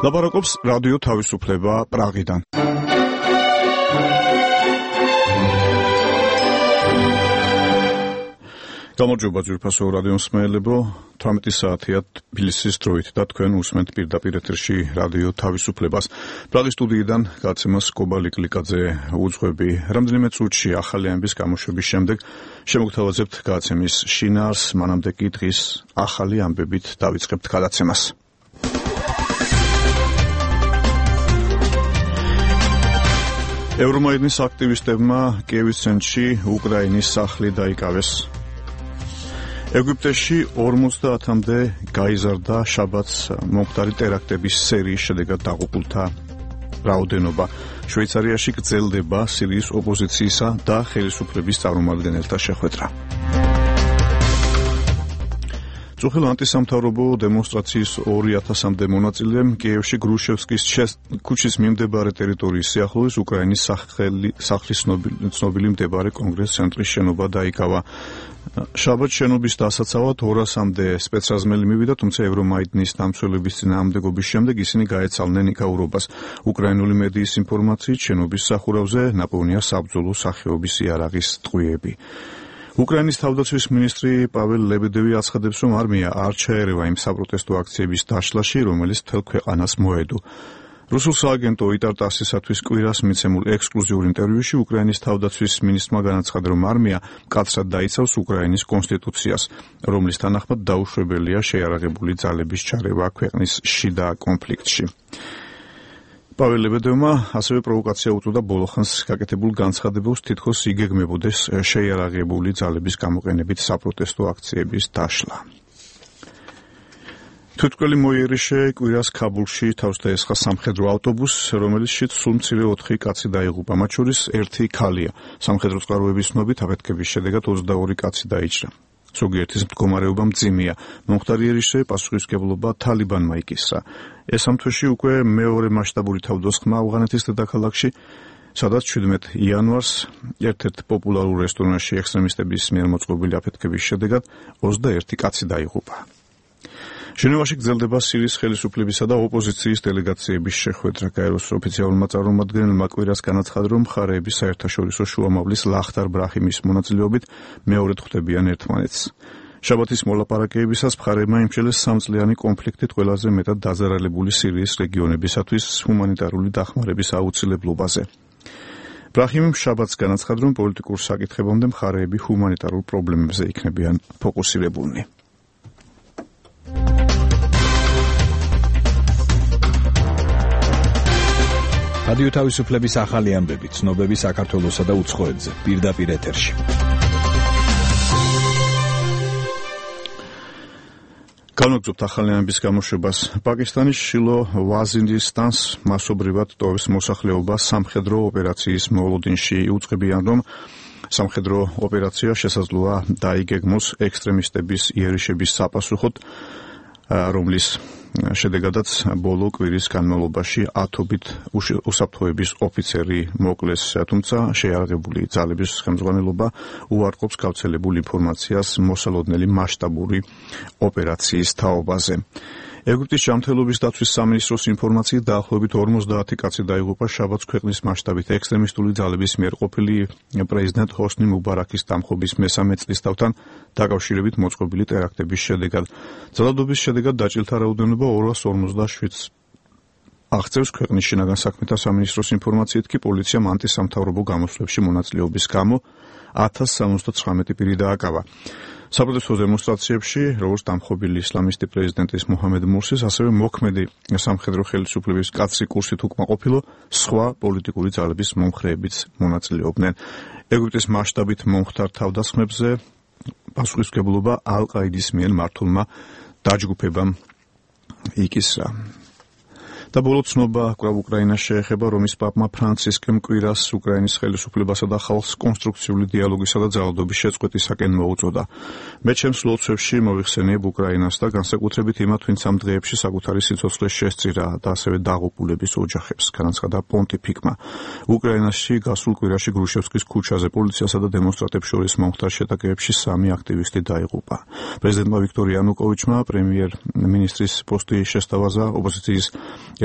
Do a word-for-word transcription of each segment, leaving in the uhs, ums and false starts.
ლაპარაკობს რადიო თავისუფლება პრაღიდან. გამარჯობა ძვირფასო რადიო მსმენელებო, თვრამეტი საათია თბილისის დროით და თქვენ უსმენთ პირდაპირ ეთერში რადიო თავისუფლებას. პრაღის სტუდიიდან გაცემას კობალი კლიკაძე უძღვები. რამდენიმე წუთში ახალი ამბის გამოშვების შემდეგ შემოგთავაზებთ გაცემის შინაარს, მანამდე კი დღის ახალი ამბებით დავიწყებთ გადაცემას. ევრომაიდნის აქტივისტებმა კიევის ცენტრში უკრაინის სახლი დაიკავეს. ეგვიპტეში ორმოცდაათამდე გაიზარდა შაბათს მომხდარი ტერაქტების სერიის შედეგად დაღუპულთა რაოდენობა. შვეიცარიაში გრძელდება სირიის ოპოზიციისა და ხელისუფლების წარმომადგენელთა შეხვედრა. წუხილ ანტისამთავრობო დემონსტრაციის ორი ათასამდე მონაწილემ კიევში გრუშევსკის ქუჩის მიმდებარე ტერიტორიის სიახლოვეს უკრაინის სახლის ცნობილი მდებარე კონგრეს-ცენტრის შენობა დაიკავა. შაბათ შენობის დასაცავად ორასამდე სპეცრაზმელი მივიდა, თუმცა ევრომაიდნის დამცველების წინააღმდეგობის შემდეგ ისინი გაეცალნენ იქაურობას. უკრაინული მედიის ინფორმაციით შენობის სახურავზე ნაპოვნია საბრძოლო სახეობის იარაღის ტყვიები. უკრაინის თავდაცვის მინისტრი პაվել ლებედევი აცხადებს, რომ არმია არ ჩაერევა იმ საპროტესტო აქციების დაშლაში, რომელიც მთელ ქვეყანას მოედო. რუსულ სააგენტო იტარ-ტასისათვის კვირას მიცემულ ექსკლუზიურ ინტერვიუში უკრაინის თავდაცვის მინისტრმა განაცხადა, რომ არმია მკაცრად დაიცავს უკრაინის კონსტიტუციას, რომლის თანახმად დაუშვებელია შეიარაღებული ძალების ჩარევა ქვეყნის შიდა კონფლიქტში. პაվել ლებედევმა ასევე პროვოკაცია უწოდა ბოლოხანს გაკეთებულ განცხადებებს, თითქოს იგეგმებოდეს შეიარაღებული ძალების გამოყენებით საპროტესტო აქციების დაშლა. თვითმკვლელი მოიერიშე კვირას ქაბულში თავს დაესხა სამხედრო ავტობუსს, რომელშიც სულ მცირე ოთხი კაცი დაიღუპა, მათ შორის ერთი ქალია. სამხედრო წყაროების ცნობით აფეთქების შედეგად ოცდაორი კაცი დაიჭრა. ზოგიერთის მდგომარეობა მძიმეა. მომხდარი იერიშე პასუხისმგებლობა თალიბანმა იკისრა. ეს ამ თვეში უკვე მეორე მასშტაბური თავდასხმა ავღანეთის დედაქალაქში, სადაც შვიდმეტ იანვარს ერთ-ერთ პოპულარულ რესტორანში ექსტრემისტების მიერ მოწყობილი აფეთქების შედეგად ოცდაერთი კაცი დაიღუპა. ჟენევაში გრძელდება სირიის ხელისუფლებისა და ოპოზიციის დელეგაციების შეხვედრა. გაეროს ოფიციალურმა წარმომადგენელმა კვირას განაცხადა, რომ მხარეები საერთაშორისო შუამავლის ლახტარ ბრაჰიმის მონაწილეობით მეორედ ხვდებიან ერთმანეთს. შაბათის მოლაპარაკებისას მხარეებმა იმჩნევლეს სამწლიანი კონფლიქტით ყველაზე მეტად დაზარალებული სირიის რეგიონებისათვის ჰუმანიტარული დახმარების აუცილებლობაზე. ბრაჰიმი შაბათს განაცხადა, რომ პოლიტიკურ საკითხებამდე მხარეები ჰუმანიტარულ პრობლემებზე იქნებიან ფოკუსირებულნი. რადიო თავისუფლების ახალი ამბები, ცნობები საქართველოსა და უცხოეთზე, პირდაპირ ეთერში. განვაგრძობთ ახალი ამბის გამოშვებას. პაკისტანის შილო ვაზირისტანს მასობრივად ტოვის მოსახლეობა სამხედრო ოპერაციის მოლოდინში იუწყებიან, რომ სამხედრო ოპერაცია შესაძლოა დაიგეგმოს ექსტრემისტების იერიშების საპასუხოდ, რომლის შედეგადაც ბოლო კვირის განმავლობაში ათობით უსაფრთხოების ოფიცერი მოკლეს, თუმცა შეიარაღებული ძალების ხელმძღვანელობა უარყოფს გავრცელებულ ინფორმაციას მოსალოდნელი მასშტაბური ოპერაციის თაობაზე. ეგვიპტის ჯანმრთელობის დაცვის სამინისტროს ინფორმაციით დაახლოებით ორმოცდაათი კაცი დაიღუპა შაბათს ქვეყნის მასშტაბით ექსტრემისტული ძალების მიერ ყოფილი პრეზიდენტ ჰოსნი მუბარაქის დამხობის მესამე წლისთავთან დაკავშირებით მოწყობილი ტერაქტების შედეგად. ძალადობის შედეგად დაჭილთა რაოდენობა ორას ორმოცდაშვიდს აღწევს. ქვეყნის შინაგან საქმეთა სამინისტროს ინფორმაციით კი პოლიციამ ანტისამთავრობო გამოსვლებში მონაწილეობის გამო ათას სამოცდაცხრამეტი პირი დააკავა. საპროტესტო დემონსტრაციებში, როგორც დამხობილი ისლამისტი პრეზიდენტის მუჰამედ მურსის, ასევე მოქმედი სამხედრო ხელისუფლების კაცრი კურსით უკმაყოფილო სხვა პოლიტიკური ძალების მომხრეებიც მონაწილეობდნენ. ეგვიპტის მასშტაბით მომხდარ თავდასხმებზე პასუხისმგებლობა ალ-ყაიდის მიერ მართულმა დაჯგუფებამ იკისრა. და ბოლო ცნობა კვლავ უკრაინას შეეხება, რომის პაპმა ფრანცისკემ კვირას უკრაინის ხელისუფლებასა და ხალხს კონსტრუქციული დიალოგისა და ძალადობის შეწყვეტისაკენ მოუწოდა. მე ჩემს ლოცვებში მოვიხსენიებ უკრაინას და განსაკუთრებით იმათ, ვინც ამ დღეებში საკუთარი სიცოცხლეს შესწირა და ასევე დაღუპულების ოჯახებს, განაცხადა პონტიფიკმა. უკრაინაში გასულ კვირაში გრუშევსკის ქუჩაზე პოლიციასა და დემონსტრანტებს შორის მომხდარ შეტაკებებში სამი აქტივისტი დაიღუპა. პრეზიდენტმა ვიქტორ იანუკოვიჩმა პრემიერ-მინისტრის პოსტი შესთავაზა ოპოზიციის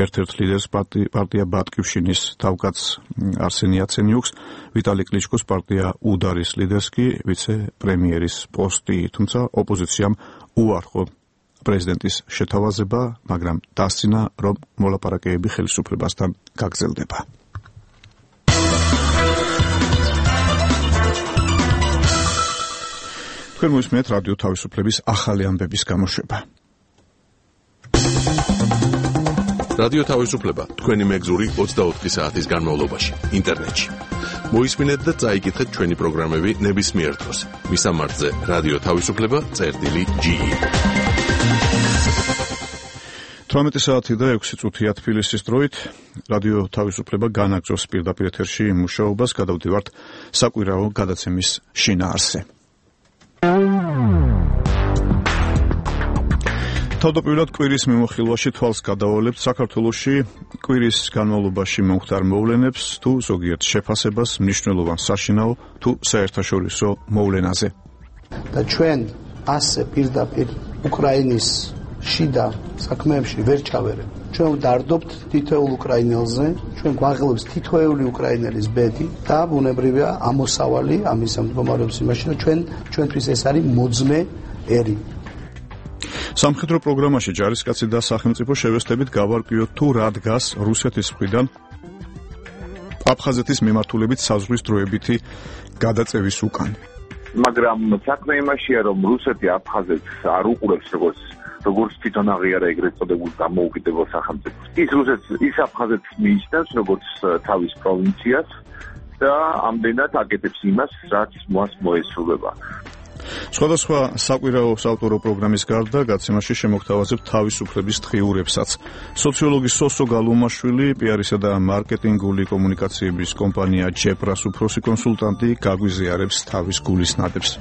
ერთ-ერთ ლიდერს პარტია ბატკივშინის თავკაც არსენი იაცენიუკს, ვიტალი კლიჩკოს პარტია უდარის ლიდერს კი ვიცე-პრემიერის პოსტი, თუმცა ოპოზიციამ უარყო პრეზიდენტის შეთავაზება, მაგრამ დასცინა, რომ მოლაპარაკებები ხელისუფლებასთან გაგრძელდება. თქვენ მოისმენთ რადიო თავისუფლების ახალი ამბების გამოშვება. რადიო თავისუფლება თქვენი მეგზური ოცდაოთხი საათის განმავლობაში ინტერნეტში. მოისმინეთ და წაიკითხეთ ჩვენი პროგრამები ნებისმიერ დროს. მისამართზე რადიო თავისუფლება წერტილი ჯი. თვრამეტი საათი და ექვსი წუთია თბილისის დროით რადიო თავისუფლება განაგრძობს პირდაპირ ეთერში მუშაობას, გადავდივართ საკვირაო გადაცემის შინაარსზე. თავდაპირველად კვირის მიმოხილვაში თვალს გადავალებთ საქართველოში კვირის განმავლობაში მომხდარ მოვლენებს თუ ზოგიერთ შეფასებას მნიშვნელოვან საშინაო თუ საერთაშორისო მოვლენაზე. და ჩვენ ასე პირდაპირ უკრაინის შიდა საქმეებში ვერ ჩავერეთ. ჩვენ ვდარდობთ თითოეულ უკრაინელზე, ჩვენ გვაღელვებს თითოეული უკრაინელის ბედი და ბუნებრივია ამოსავალი ამის მდგომარეობის იმაში, რომ ჩვენ ჩვენთვის ეს არის მოძმე ერი. სამხედრო პროგრამაში ჯარისკაცი და სახელმწიფო შევესწრებით გავარკვიოთ თუ რა დგას რუსეთის მხრიდან აფხაზეთის მიმართულებით საზღვრის დროებითი გადაწევის უკან. მაგრამ საქმე იმაშია, რომ რუსეთი აფხაზეთს არ უყურებს როგორც როგორც თვითონ აღიარა ეგრეთ წოდებულ დამოუკიდებელ სახელმწიფოს. ის რუსეთს ის აფხაზეთს მიიჩნევს როგორც თავის პროვინციას და ამდენად აკეთებს იმას, რაც მას მოესრულება. სხვადასხვა საკვირაო საავტორო პროგრამის გარდა გაცემაში შემოგთავაზებთ თავისუფლების დღიურებსაც. სოციოლოგი სოსო გალუმაშვილი, პიარისა და მარკეტინგული კომუნიკაციების კომპანია ჯეპრას უფროსი კონსულტანტი გაგვიზიარებს თავის გულისნადებს.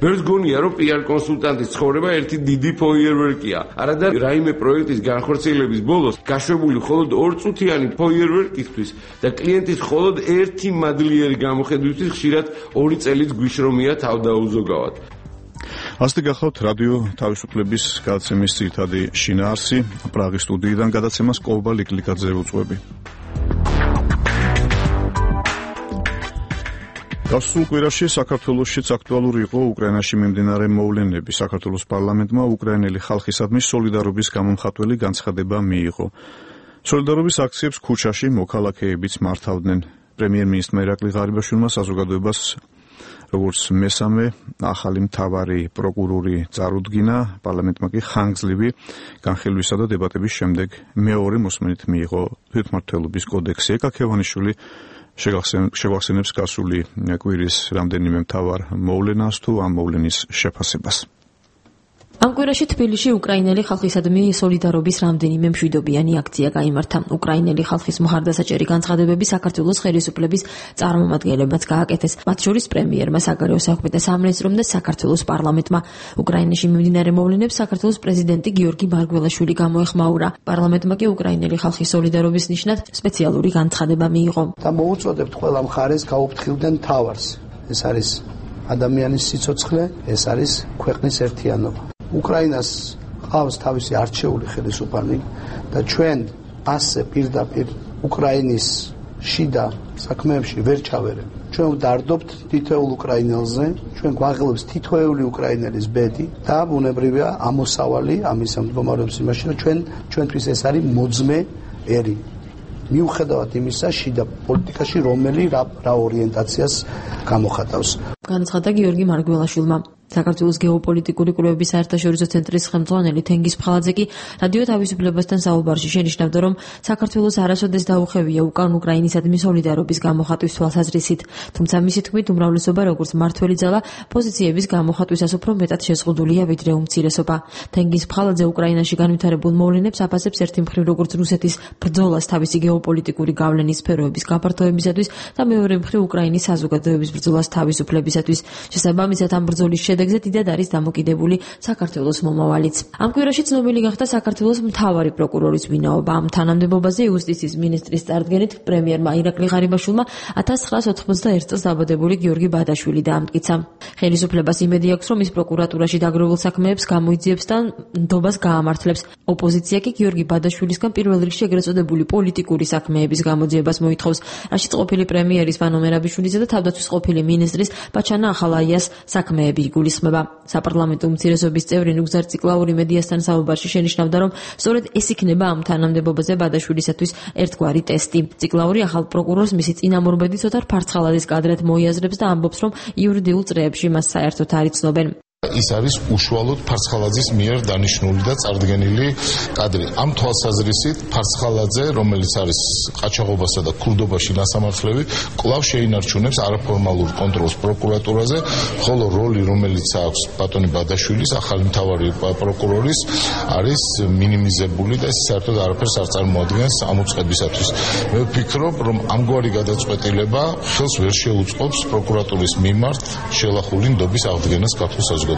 ბევრს გონია, რომ პიარ კონსულტანტის ცხოვრება ერთი დიდი ფოიერვერკია. არადა რაიმე პროექტის განხორციელების ბოლოს გაშვებული მხოლოდ ორწუთიანი ფოიერვერკისთვის და კლიენტის მხოლოდ ერთი მადლიერი გამოხედვისთვის ხშირად ორი წელიც გვიშრომია თავდაუზოგავად. ასეთი გახლავთ რადიო თავისუფლების გადაცემის ძირითადი შინაარსი. პრაღის სტუდიიდან გადაცემას კოლბა ლიკლიკაძე უწვევი. გასულ კვირაში საქართველოშიც აქტუალური იყო უკრაინაში მიმდინარე მოვლენები. საქართველოს პარლამენტმა უკრაინელი ხალხისადმი სოლიდარობის გამომხატველი განცხადება მიიღო. სოლიდარობის აქციებს ქუჩაში მოქალაქეებიც მართავდნენ. პრემიერ-მინისტრმა ირაკლი ღარიბაშვილმა საზოგადოებას როგორც მესამე ახალი მთავარი პროკურორი წარუდგინა, პარლამენტმა კი ხანგრძლივი განხილვისა და დებატების შემდეგ მეორე მოსმენით მიიღო თვითმმართველობის კოდექსი. ეკა ქევანიშვილი შევახსენებს გასული კვირის რამდენიმე მთავარ მოვლენას თუ ამ მოვლენის შეფასებას. ამ კვირაში თბილისში უკრაინელი ხალხისადმი სოლიდარობის რამდენიმე მშვიდობიანი აქცია გაიმართა. უკრაინელი ხალხის მხარდასაჭერი განცხადებები საქართველოს ხელისუფლების წარმომადგენლებმაც გააკეთეს. მათ შორის პრემიერმა, საგარეო საქმეთა სამინისტრომ და საქართველოს პარლამენტმა. უკრაინაში მიმდინარე მოვლენებს საქართველოს პრეზიდენტი გიორგი მარგველაშვილი გამოეხმაურა. პარლამენტმა კი უკრაინელი ხალხის სოლიდარობის ნიშნად სპეციალური განცხადება მიიღო. და მოუწოდებთ ყველა მხარეს გაუფრთხილდნენ თავს. ეს არის ადამიანის სიცოცხლე, ეს არის ქვეყნის ერთიანობა. უკრაინას ყავს თავისი არჩეული ხელისუფალი და ჩვენ ასე პირდაპირ უკრაინის შიდა საქმეებში ვერ ჩავერეთ. ჩვენ ვდარდობთ თითოეულ უკრაინელზე, ჩვენ გვაღელვებს თითოეული უკრაინელის ბედი და ბუნებრივია ამოსავალი ამის მდგომარეობის იმაში, რომ ჩვენ ჩვენთვის ეს არის მოძმე ერი. მიუხედავად იმისა, შიდა პოლიტიკაში რომელი რა, რა ორიენტაციას გამოხატავს. განაცხადა გიორგი მარგველაშვილმა. საქართველოს გეოპოლიტიკური კვლევების საერთაშორისო ცენტრის ხელმძღვანელი თენგიზ ფხალაძე კი რადიო თავისუფლებასთან საუბარში შენიშნავდა, რომ საქართველოს არასოდეს დაუხევია უკან უკრაინისადმი სოლიდარობის გამოხატვის თვალსაზრისით, თუმცა მისი თქმით უმრავლესობა როგორც მართველი ძალა პოზიციების გამოხატვისას უფრო მეტად შეზღუდულია ვიდრე უმცირესობა. თენგიზ ფხალაძე უკრაინაში განვითარებულ მოვლენებს აფასებს ერთი მხრივ როგორც რუსეთის ბრძოლას თავისი გეოპოლიტიკური გავლენის სფეროების გაფართოებისათვის და მეორე მხრივ უკრაინის საზოგადოების ბრძოლას თავისუფლებისათვის. შესაბამისად ამ ბრძოლის შედეგზე დიდად არის დამოკიდებული საქართველოს მომავალიც. ამ კვირაში ცნობილი გახდა საქართველოს მთავარი პროკურორის ვინაობა. ამ თანამდებობაზე იუსტიციის მინისტრის წარდგენით პრემიერმა ირაკლი ღარიბაშვილმა ათას ცხრაას ოცდაოთხ წელს დაბადებული გიორგი ბადაშვილი დაამტკიცა. ხელისუფლებას იმედი აქვს, რომ ის პროკურატურაში დაგროვილ საქმეებს გამოიძიებს და ნდობას გაამართლებს. ოპოზიცია კი გიორგი ბადაშვილისგან პირველ რიგში ეგრეთ წოდებული პოლიტიკური საქმეების გამოძიებას მოითხოვს, რაშიც ყოფილი პრემიერის ვანო მერაბიშვილისა და თავდაცვის ყოფილი მინისტრის ბაჩანა ახალაიას საქმეები იგულისხმება. საპარლამენტო უმცირესობის წევრი ნუგზარ ციკლაური მედიასთან საუბარში შენიშნავდა, რომ სწორედ ეს იქნება ამ თანამდებობაზე ბადაშვილისათვის ერთგვარი ტესტი. ციკლაური ახალ პროკურორს მისი წინამორბედი ცოტა ფარცხალაძის კადრად მოიაზრებს და ამბობს, რომ იურიდიულ წრეებში მას საერთოდ არ იცნობენ. ის არის უშუალოდ ფარცხალაძის მიერ დანიშნული და წარდგენილი კადრი. ამ თვალსაზრისით ფარცხალაძე, რომელიც არის ყაჩაღობასა და ქურდობაში ნასამართლები, კვლავ შეინარჩუნებს არაფორმალურ კონტროლს პროკურატურაზე, ხოლო როლი, რომელიც აქვს ბატონი ბადაშვილის, ახალი მთავარი პროკურორის, არის მინიმიზებული და ეს საერთოდ არაფერს არ წარმოადგენს ამ უწყებისათვის. მე ვფიქრობ, რომ ამგვარი გადაწყვეტილება ხელს ვერ შეუწყობს პროკურატურის მიმართ შელახული ნდობის აღდგენას ქართულ საზოგადოებაში.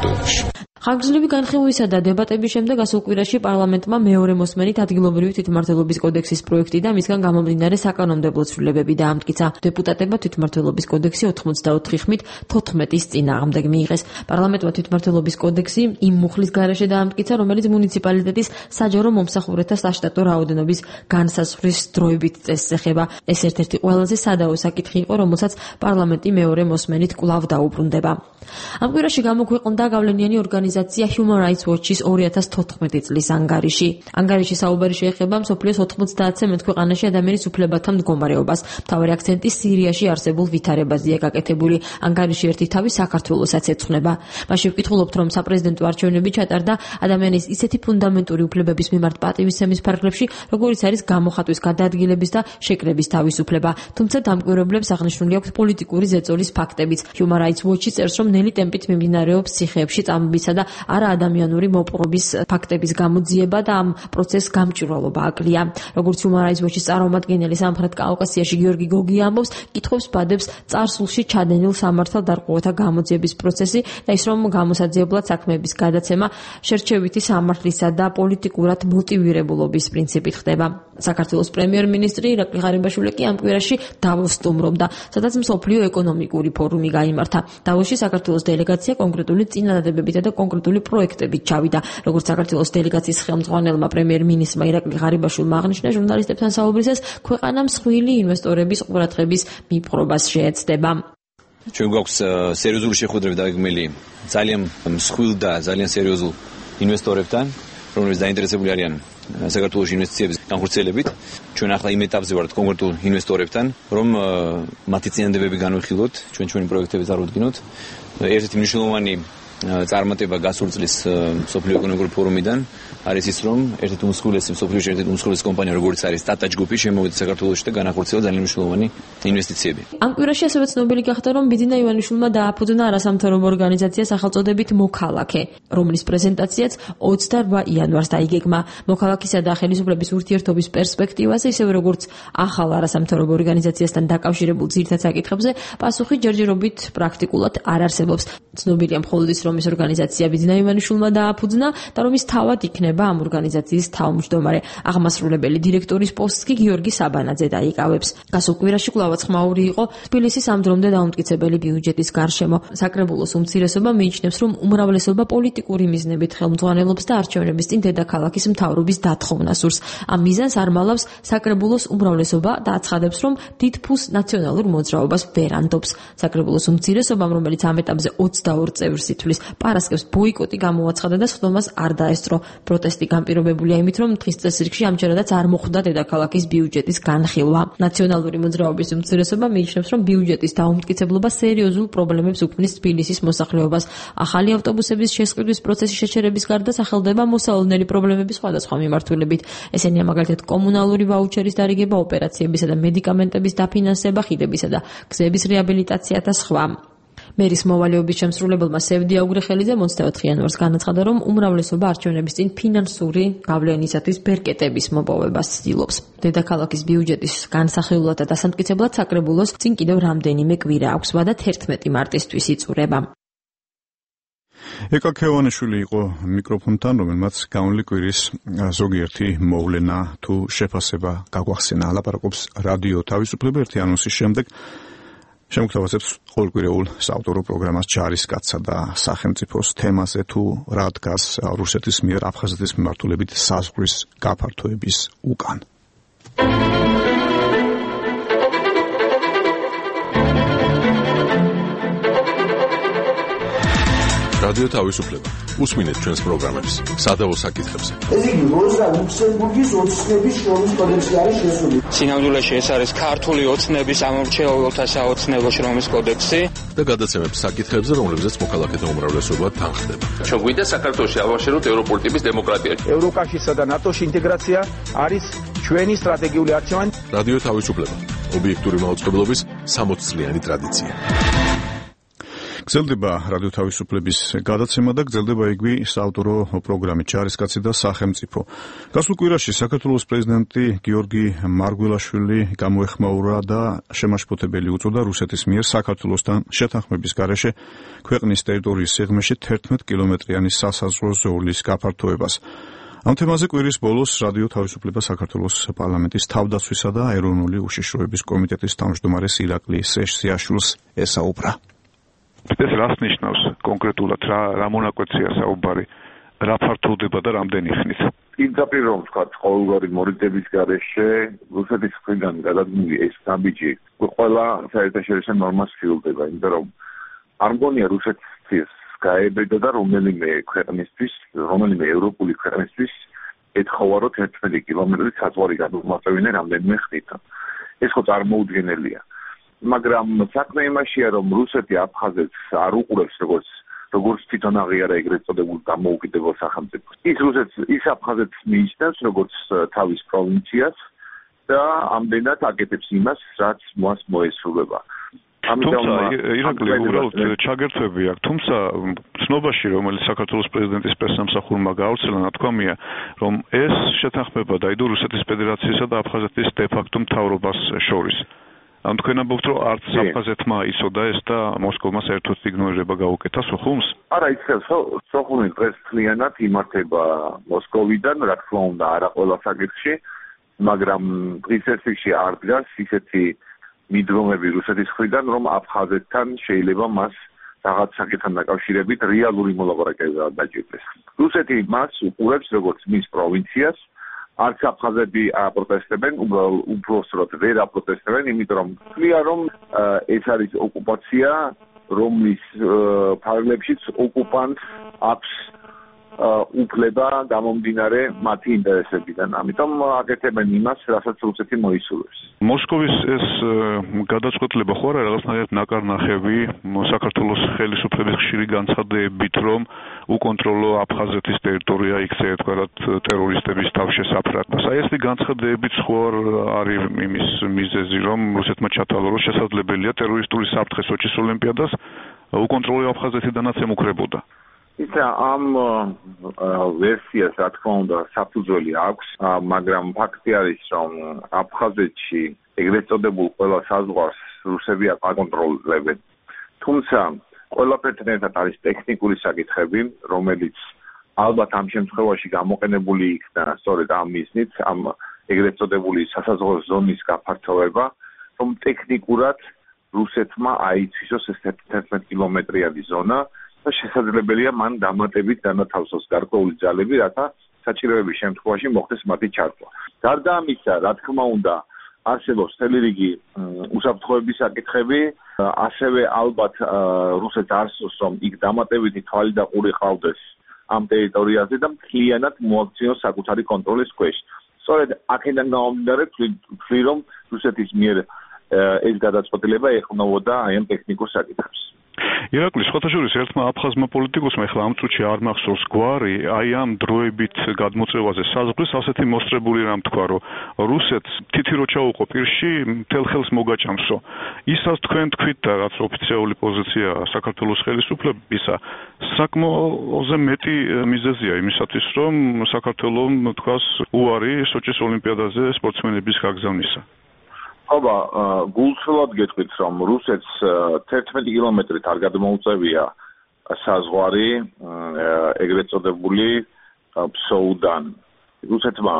ხანგრძლივი განხილვისა და დებატების შემდეგ ასულ კვირაში პარლამენტმა მეორე მოსმენით ადგილობრივი თვითმმართველობის კოდექსის პროექტი და მისგან გამომდინარე საკანონმდებლო ცვლილებები დაამტკიცა. დეპუტატებმა თვითმმართველობის კოდექსი ოცდაოთხი ხმით თოთხმეტის წინააღმდეგ მიიღეს. პარლამენტმა თვითმმართველობის კოდექსი იმ მუხლის გარეშე დაამტკიცა, რომელიც მუნიციპალიტეტის საჯარო მომსახურეთა საშტატო რაოდენობის განსაზღვრის დროებით წესს ეხება. ეს ერთ-ერთი ყველაზე სადაო საკითხი იყო, რომელსაც პარლამენტი მეორე მოსმენით კვლავ დაუბრუნდება. ამ კვირაში გამოქვეყნდა გავლენიანი ორგანიზაცია Human Rights Watch-ის ორი ათას თოთხმეტი წლის ანგარიში. ანგარიში საუბარი შეეხება მსოფლიოს ოთხმოცდაათზე მეტ ქვეყანაში ადამიანის უფლებათა მდგომარეობას. მთავარი აქცენტი სირიაში არსებულ ვითარებაზეა გაკეთებული. ანგარიში ერთი თავი საქართველოსაც ეძღვნება. მასში ვკითხულობთ, რომ საპრეზიდენტო არჩევნები ჩატარდა ადამიანის ისეთი ფუნდამენტური უფლებების მიმართ პატივისცემის ფარგლებში, როგორიც არის გამოხატვის, გადაადგილების და შეკრების თავისუფლება. თუმცა დამკვირვებლებს აღნიშნული აქვს პოლიტიკური ზეწოლის ფაქტებიც. Human Rights Watch წერს, რომ ნელი ტემპით მიმდინარეობს ციხეებში წამებისა და არაადამიანური მოპყრობის ფაქტების გამოძიება და ამ პროცესს გამჭვირვალობა აკლია. როგორც Human Rights Watch-ის წარმომადგენელი სამხრეთ კავკასიაში გიორგი გოგი ამბობს, კითხვებს ბადებს წარსულში ჩადენილ სამართალდარღვევათა გამოძიების პროცესი და ის, რომ გამოსაძიებლად საქმეების გადაცემა შერჩევითი სამართლისა და პოლიტიკურად მოტივირებულობის პრინციპით ხდება. საქართველოს პრემიერ-მინისტრი ირაკლი ღარიბაშვილი კი ამ კვირაში დავოსს სტუმრობდა, სადაც მსოფლიო ეკონომიკური ფორუმი გაიმართა. დავოსში საქართველოს დელეგაცია კონკრეტული წინადადებებითა და კონკრეტული პროექტებით ჩავიდა. როგორც საქართველოს დელეგაციის ხელმძღვანელმა პრემიერ-მინისტრმა ირაკლი ღარიბაშვილმა აღნიშნა, ჟურნალისტებთან საუბრისას ქვეყანა მსხვილი ინვესტორების ყურადღების მიპყრობას შეეცდება. ჩვენ გვაქვს სერიოზული შეხვედრები დაგეგმილი ძალიან მსხვილ და ძალიან სერიოზულ ინვესტორებთან, რომლებიც დაინტერესებული არიან საქართველოს ინვესტიციების განხორციელებით. ჩვენ ახლა იმ ეტაპზე ვართ კონკრეტულ ინვესტორებთან, რომ მათი წინადადებები განვიხილოთ, ჩვენ ჩვენი პროექტები წარუდგინოთ. ერთ-ერთი მნიშვნელოვანი წარმატება გასულ წლის მსოფლიო ეკონომიკური ფორუმიდან არის ის, რომ ერთ-ერთი უმსხვილესი მსოფლიოში ერთ-ერთი უმსხვილესი კომპანია, როგორც არის Tata ჯგუფი, შემოვიდა საქართველოში და განახორციელა ძალიან მნიშვნელოვანი ინვესტიციები. ამ კვირაში ასევე ცნობილი გახდა, რომ ბიძინა ივანიშვილმა დააფუძნა არასამთავრობო ორგანიზაცია სახელწოდებით მოქალაქე, რომლის პრეზენტაციაც ოცდაოთხ იანვარს დაიგეგმა. მოქალაქისა და ხელისუფლების ურთიერთობის პერსპექტივაზე, ისევე როგორც ახალ არასამთავრობო ორგანიზაციასთან დაკავშირებულ ძირითად საკითხებზე, პასუხი ჯერჯერობით პრაქტიკულად არ არსებობს. ცნობილია მხოლოდ ის, რომ ეს ორგანიზაცია ბიძინა ივანიშვილმა დააფუძნა და რომ ის თავად იქნება ამ ორგანიზაციის თავმჯდომარე. აღმასრულებელი დირექტორის პოსტს კი გიორგი საბანაძე დაიკავებს. გასულ კვირაში კვლავაც ხმაური იყო თბილისის ამ დრომდე დაუმტკიცებელი ბიუჯეტის გარშემო. საკრებულოს უმცირესობა მიიჩნევს, რომ უმრავლესობა პოლიტიკური მიზნებით ხელმძღვანელობს და არჩევნების წინ დედაქალაქის მთავრობის დათხოვნა სურს. ამ მიზანს არ მალავს საკრებულოს უმრავლესობა და აცხადებს, რომ დიდ ფულს ნაციონალურ მოძრაობას ვერ ანდობს. საკრებულოს უმცირესობამ, რომელიც ამ ეტაპზე ოცდაორ წევრს ითვლის, პარასკევს ბოიკოტი გამოაცხადა და სხდომას არ დაესწრო. პროტესტი განპირობებულია იმით, რომ დღის წესრიგში ამჯერადაც არ მოხვდა დედაქალაქის ბიუჯეტის განხილვა. ნაციონალური მოძრაობის უმცირესობა მიიჩნევს, რომ ბიუჯეტის დაუმტკიცებლობა სერიოზულ პრობლემებს უქმნის თბილისის მოსახლეობას. ახალი ავტობუსების შესყიდვის პროცესის შეჩერების გარდა სახელდება მოსალოდნელი პრობლემების სხვადასხვა მიმართულებით. ესენია მაგალითად კომუნალური ვაუჩერის დარიგება, ოპერაციებისა და მედიკამენტების დაფინანსება, ხიდებისა და გზების რეაბილიტაცია და სხვა. მერის მოვალეობის შემსრულებელმა სევდი აუგრეხელიძემ ოცდაოთხ იანვარს განაცხადა, რომ უმრავლესობა არჩევნების წინ ფინანსური გავლენისათვის ბერკეტების მოპოვებას ცდილობს. დედაქალაქის ბიუჯეტის განსახილულად და დასამტკიცებლად საკრებულოს წინ კიდევ რამდენიმე კვირა აქვს, ვადა თერთმეტი მარტისთვის იწურება. ეკა ქევანიშვილი იყო მიკროფონთან, რომელმაც განვლი კვირის ზოგიერთი მოვლენა თუ შეფასება გაგვახსენა. ლაპარაკობს რადიო თავისუფლება ერთი ანონსის შემდეგ. შემოგთავაზებს ყოველკვირეულ საავტორო პროგრამას ჯარისკაცსა და სახელმწიფოს თემაზე თუ რა დგას რუსეთის მიერ აფხაზეთის მიმართულებით საზღვრის გაფართოების უკან. რადიო თავისუფლება. უსმინეთ ჩვენს პროგრამებს სადავო საკითხებზე. ეს იგი როზა ლუქსემბურგის ოცნების შრომის კოდექსი არის შესული. სინამდვილეში ეს არის ქართული ოცნების ამორჩეულთა საოცნებო შრომის კოდექსი და გადაცემებს საკითხებზე, რომლებზეც მოქალაქეთა უმრავლესობა თანხდება. ჩვენ გვინდა საქართველოში ავაშენოთ ევროპული ტიპის დემოკრატია. ევროკავშირსა და ნატოს ინტეგრაცია არის ჩვენი სტრატეგიული არჩევანი. რადიო თავისუფლება. ობიექტური მაუწყებლობის სამოც წლიანი ტრადიცია. გრძელდება რადიო თავისუფლების გადაცემა და გრძელდება იგივე საავტორო პროგრამით ჯარისკაცი და სახელმწიფო. გასულ კვირაში საქართველოს პრეზიდენტი გიორგი მარგველაშვილი გამოეხმაურა და შემაშფოთებელი უწოდა რუსეთის მიერ საქართველოსთან შეთანხმების გარეშე ქვეყნის ტერიტორიის სიღრმეში თერთმეტ კილომეტრიანი სასაზღვრო ზოლის გაფართოებას. ამ თემაზე კვირის ბოლოს რადიო თავისუფლება საქართველოს პარლამენტის თავდაცვისა და ეროვნული უშიშროების კომიტეტის თავმჯდომარეს ირაკლი სეშსიაშვილს ესაუბრა. ეს რას ნიშნავს კონკრეტულად რა რა მონაკვეთია საუბარი რა ფართოვდება და რამდენი ხნით პირდაპირ რომ ვთქვათ ყოველგვარი მორიდების გარეშე რუსეთის მხრიდან გადადგმული ეს ნაბიჯი ყველა საერთაშორისო ნორმას ცდილდება იმიტომ რომ არ მგონია რუსეთის გაებედა და რომელიმე ქვეყნისთვის რომელიმე ევროპული ქვეყნისთვის ეთხოვა რომ თერთმეტი კილომეტრი საზღვარი გადმოაწევინე რამდენიმე ხნით ეს ხო წარმოუდგენელია მაგრამ საქმე იმაშია რომ რუსეთი აფხაზეთს არ უყურებს როგორც როგორც თვითონ აღიარა ეგრეთ წოდებულ დამოუკიდებელ სახელმწიფოს. ის რუსეთს ის აფხაზეთს მიიჩნევს როგორც თავის პროვინციას და ამდენად აკეთებს იმას, რაც მას მოესრულება. თუმცა ირაკლი უბრალოდ ჩაგერთვები აქვს, თუმცა ცნობაში რომელიც საქართველოს პრეზიდენტის პრესსამსახურმა გაავრცელა ნათქვამია, რომ ეს შეთანხმება დაიდო რუსეთის ფედერაციისა და აფხაზეთის დე-ფაქტო მთავრობას შორის. ამ თქვენ ამბობთ რომ არც აფხაზეთმა იცოდა ეს და მოსკოვმა საერთოდ იგნორირება გაუკეთა სოხუმს? არა, იცის სოხუმი დღეს ძალიანად იმართება მოსკოვიდან, რა თქმა უნდა, არა ყველა საკითხში, მაგრამ დღის ესში არ დგას ისეთი მიდგომები რუსეთის მხრიდან, რომ აფხაზეთთან შეიძლება მას რაღაც საკითხთან დაკავშირებით რეალური მოლაპარაკება დაჭირდეს. რუსეთი მას უყურებს როგორც მის პროვინციას, არც აფხაზები აპროტესტებენ, უბრალოდ ვერ აპროტესტებენ, იმიტომ რომ თვლია რომ ეს არის ოკუპაცია, რომლის ფარგლებშიც ოკუპანტს აქვს უფლება გამომდინარე მათი ინტერესებიდან. ამიტომ აკეთებენ იმას, რასაც რუსეთი მოისურვებს. მოსკოვის ეს გადაწყვეტილება ხო არა რაღაცნაირად ნაკარნახევი საქართველოს ხელისუფლების ხშირი განცხადებებით, რომ უკონტროლო აფხაზეთის ტერიტორია იქცე თქვათ ტერორისტების თავშესაფრად. აი ეს განცხადებებით ხო არის იმის მიზეზი, რომ რუსეთმა ჩათვალოს შესაძლებელია ტერორისტული საფრთხე სოჩის ოლიმპიადას უკონტროლო აფხაზეთიდანაც ემუქრებოდა. ისა ამ ვერსიას რა თქმა უნდა საფუძველი აქვს, მაგრამ ფაქტი არის, რომ აფხაზეთში ეგრეთ წოდებულ ყველა საზღვარს რუსები აკონტროლებენ. თუმცა ყველაფერთან ერთად არის ტექნიკური საკითხები, რომელიც ალბათ ამ შემთხვევაში გამოყენებული იქნა სწორედ ამ მიზნით, ამ ეგრეთ წოდებული სასაზღვრო ზონის გაფართოვება, რომ ტექნიკურად რუსეთმა აიცვისოს ეს თერთმეტ კილომეტრიანი ზონა და შესაძლებელია მან დამატებით განათავსოს გარკვეული ძალები, რათა საჭიროების შემთხვევაში მოხდეს მათი ჩართვა. გარდა ამისა, რა თქმა უნდა, არსებობს მთელი რიგი უსაფრთხოების საკითხები, ასევე ალბათ რუსეთს არ სურს, რომ იქ დამატებითი თვალი და ყური ყავდეს ამ ტერიტორიაზე და მთლიანად მოაქციოს საკუთარი კონტროლის ქვეშ. სწორედ აქედან გამომდინარე ვთვლი, რომ რუსეთის მიერ ეს გადაწყვეტილება ეყრდნობოდა აი ამ ტექნიკურ საკითხებს. ირაკლი, სხვათა შორის ერთმა აფხაზმა პოლიტიკოსმა ახლა ამ წუთში არ მახსოვს გვარი, აი ამ დროებით გადმოწევაზე საზღვრის ასეთი მოსწრებული რამ თქვა, რომ რუსეთს თითი რო ჩაუყო პირში, მთელ ხელს მოგაჭამსო. ისაც თქვენ თქვით და რაც ოფიციალური პოზიცია საქართველოს ხელისუფლებისა, საკმაოზე მეტი მიზეზია იმისათვის, რომ საქართველოს თქვას უარი სოჩის ოლიმპიადაზე სპორტსმენების გაგზავნისა. აბა გულწრფელად გეტყვით რომ რუსეთს თერთმეტი კილომეტრით არ გადმოუწევია საზღვარი ეგრეთ წოდებული ფსოუდან. რუსეთმა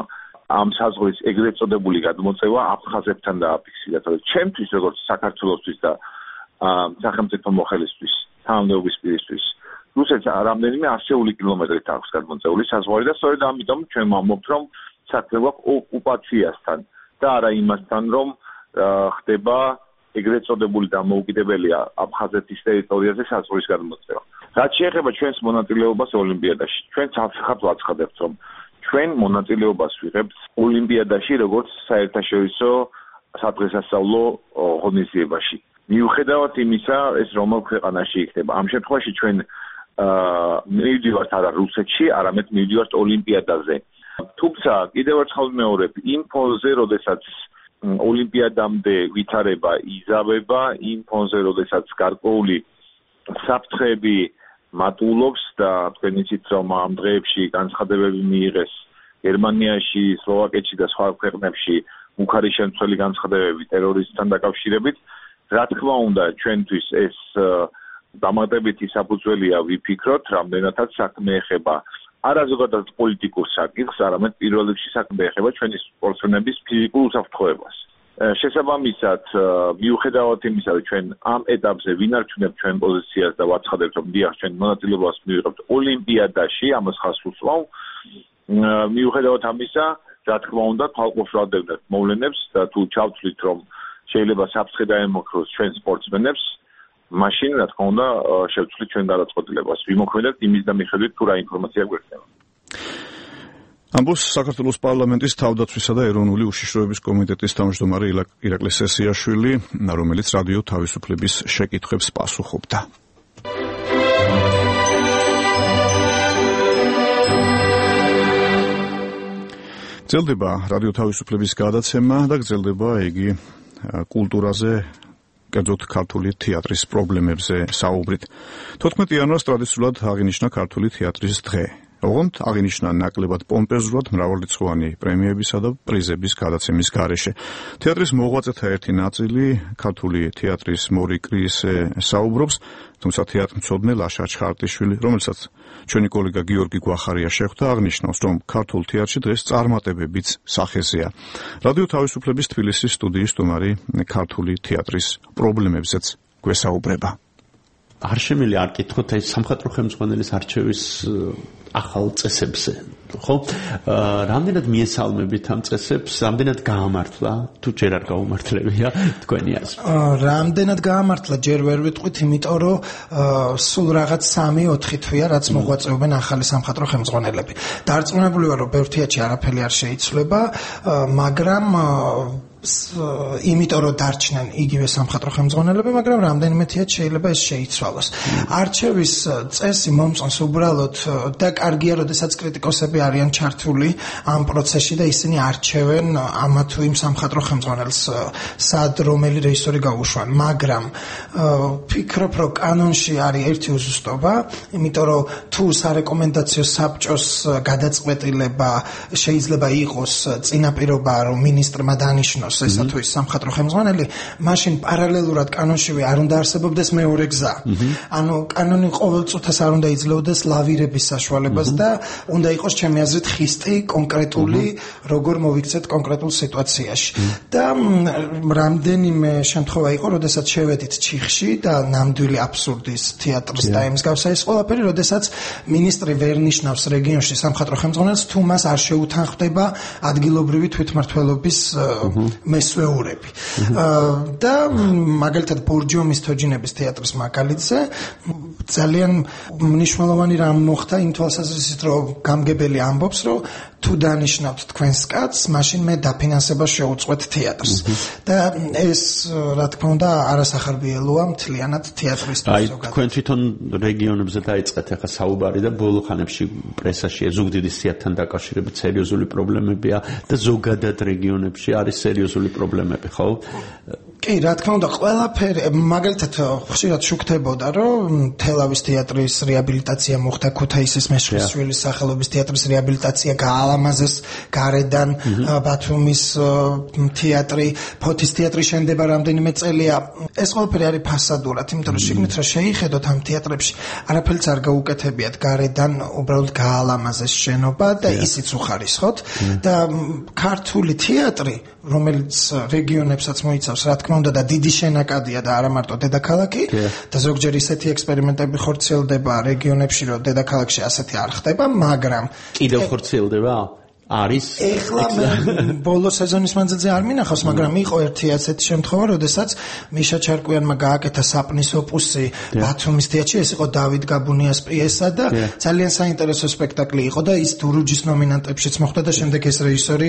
ამ საზღვრის ეგრეთ წოდებული გადმოწევა აფხაზებთან დააფიქსირა. ჩემთვის როგორც საქართველოსთვის და სახელმწიფო მოხელისთვის, თანამდებობის პირისთვის, რუსეთს რამდენიმე ასეული კილომეტრით აქვს გადმოწეული საზღვარი და სწორედ ამიტომ ჩვენ ვამბობთ, რომ საქმე გვაქვს ოკუპაციასთან და არა იმასთან, რომ ხდება ეგრეთ წოდებული დამოუკიდებელია აფხაზეთის ტერიტორიაზე საზღვრის გადმოწევა. რაც შეეხება ჩვენს მონაწილეობას ოლიმპიადაში, ჩვენ ცალსახად ვაცხადებთ, რომ ჩვენ მონაწილეობას ვიღებთ ოლიმპიადაში, როგორც საერთაშორისო სადღესასწაულო ღონისძიებაში. მიუხედავად იმისა, ეს რომელ ქვეყანაში იქნება. ამ შემთხვევაში ჩვენ მივდივართ არა რუსეთში, არამედ მივდივართ ოლიმპიადაზე. თუმცა კიდევ ერთხელ ვიმეორებ, იმ ფონზე, როდესაც ოლიმპიადამდე ვითარება იზავება, იმ ფონზე, როდესაც გარკვეული საფრთხეები მატულობს და თქვენ იცით, რომ ამ დღეებში განცხადებები მიიღეს გერმანიაში, სლოვაკეთში და სხვა ქვეყნებში მუქარი შემცველი განცხადებები ტერორიზმთან დაკავშირებით. რა თქმა უნდა, ჩვენთვის ეს დამატებითი საფუძველია ვიფიქროთ, რამდენადაც საქმე ეხება არა ზოგადად პოლიტიკურ საკითხს, არამედ პირველ რიგში საქმე ეხება ჩვენი სპორტსმენების ფიზიკურ უსაფრთხოებას. შესაბამისად, მიუხედავად იმისა, რომ ჩვენ ამ ეტაპზე ვინარჩუნებთ ჩვენ პოზიციას და ვაცხადებთ, რომ დიახ, ჩვენ მონაწილეობას მივიღებთ ოლიმპიადაში, ამას ხაზს უსვავ. მიუხედავად ამისა, რა თქმა უნდა, თვალყურს ვადევნებთ მოვლენებს და თუ ჩავთვლით, რომ შეიძლება საფრთხე დაემუქროს ჩვენ სპორტსმენებს, მაშინ რა თქმა უნდა შევცვლით ჩვენ გადაწყვეტილებას. ვიმოქმედებთ იმის და მიხედვით თუ რა ინფორმაცია გვერდება. ამბობს საქართველოს პარლამენტის თავდაცვისა და ეროვნული უშიშროების კომიტეტის თავმჯდომარე ირაკლი სესიაშვილი, რომელიც რადიო თავისუფლების შეკითხვებს პასუხობდა. გრძელდება რადიო თავისუფლების გადაცემა და გრძელდება იგი კულტურაზე, კერძოდ ქართული თეატრის პრობლემებზე საუბრით. თოთხმეტი იანვარს ტრადიციულად აღინიშნა ქართული თეატრის დღე. ოღონდ აღინიშნა ნაკლებად პომპეზურად მრავალრიცხოვანი პრემიებისა და პრიზების გადაცემის გარეშე. თეატრის მოღვაწეთა ერთი ნაწილი ქართული თეატრის მორი კრისზე საუბრობს, თუმცა თეატრმცოდნე ლაშა ჩხარტიშვილი, რომელსაც ჩვენი კოლეგა გიორგი გვახარია შეხვდა, აღნიშნავს, რომ ქართულ თეატრში დღეს წარმატებებიც სახეზეა. რადიო თავისუფლების თბილისის სტუდიის სტუმარი ქართული თეატრის პრობლემებზეც გვესაუბრება. არ შემიძლია არ კითხოთ ეს სამხატვრო ხელმძღვანელის არჩევის ახალ წესებზე, ხო? რამდენად მიესალმებით ამ წესებს, რამდენად გაამართლა, თუ ჯერ არ გაუმართლებია თქვენი აზრით? რამდენად გაამართლა ჯერ ვერ ვიტყვით, იმიტომ რომ სულ რაღაც სამი ოთხი თვეა, რაც მოღვაწეობენ ახალი სამხატვრო ხელმძღვანელები. დარწმუნებული ვარ, რომ ბევრ თეატრში არაფერი არ შეიცვლება, მაგრამ იმიტომ რომ დარჩნენ იგივე სამხატვრო ხელმძღვანელები, მაგრამ რამდენიმე თეატრში შეიძლება ეს შეიცვალოს. არჩევის წესი მომწონს უბრალოდ და კარგია, როდესაც კრიტიკოსები არიან ჩართული ამ პროცესში და ისინი არჩევენ ამა თუ იმ სამხატვრო ხელმძღვანელს, სად რომელი რეჟისორი გაუშვან, მაგრამ ვფიქრობ, რომ კანონში არის ერთი უზუსტობა, იმიტომ რომ თუ სარეკომენდაციო საბჭოს გადაწყვეტილება შეიძლება იყოს წინაპირობა, რომ მინისტრმა დანიშნოს ესა თუ ის სამხატვრო ხელმძღვანელი, მაშინ პარალელურად კანონშივე არ უნდა არსებობდეს მეორე გზა. ანუ კანონი ყოველ წუთას არ უნდა იძლეოდეს ლავირების საშუალებას და უნდა იყოს ჩემი აზრით ხისტი კონკრეტული, როგორ მოვიქცეთ კონკრეტულ სიტუაციაში. და რამდენიმე შემთხვევა იყო, როდესაც შევედით ჩიხში და ნამდვილი აბსურდის თეატრს და იმის გავსა ეს ყველაფერი, როდესაც მინისტრი ვერ ნიშნავს რეგიონში სამხატვრო ხელმძღვანელს, თუ მას არ შეუთანხმდება ადგილობრივი თვითმმართველობის მესვეურები. და მაგალითად ბორჯომის თოჯინების თეატრის მაგალითზე ძალიან მნიშვნელოვანი რამ მოხდა იმ თვალსაზრისით, რომ გამგებელი ამბობს, რომ თუ დანიშნავთ თქვენს კაცს, მაშინ მე დაფინანსებას შევუწყვეთ თეატრს. და ეს რა თქმა უნდა არასახარბიელოა მთლიანად თეატრისთვის. აი, თქვენ თვითონ რეგიონებზე დაიწყეთ ახლა საუბარი და ბოლო ხანებში პრესაში ზუგდიდის თეატრთან დაკავშირებით სერიოზული პრობლემებია და ზოგადად რეგიონებში არის სერიოზული პრობლემები, ხო? კი, რა თქმა უნდა, ყველაფერი, მაგალითად, ხშირად შუქდებოდა, რომ თელავის თეატრის რეაბილიტაცია მოხდა, ქუთაისის მეშხიშვილის სახელობის თეატრის რეაბილიტაცია გაალამაზეს გარედან, ბათუმის თეატრი, ფოთის თეატრი შენდება რამდენიმე წელია. ეს ყველაფერი არის ფასადურად, იმიტომ რომ შიგნით რა შეიხედოთ ამ თეატრებში, არაფერიც არ გაუკეთებიათ გარედან, უბრალოდ გაალამაზეს შენობა და ისიც უხარისხოთ და ქართული თეატრი, რომელიც რეგიონებსაც მოიცავს, რა თქმა უნდა და დიდი შენაკადია და არა მარტო დედაქალაქი და ზოგჯერ ისეთი ექსპერიმენტები ხორციელდება რეგიონებში, რომ დედაქალაქში ასეთი არ ხდება, მაგრამ კიდევ ხორციელდება? არის ეხლა ბოლო სეზონის მანძილზე არ მინახავს, მაგრამ იყო ერთი ასეთი შემთხვევა, როდესაც მიშა ჩარკვიანმა გააკეთა საპნის ოპუსი ბათუმის თეატრში, ეს იყო დავით გაბუნიას პიესა და ძალიან საინტერესო სპექტაკლი იყო და ის დურუჯის ნომინანტებშიც მოხვდა და შემდეგ ეს რეჟისორი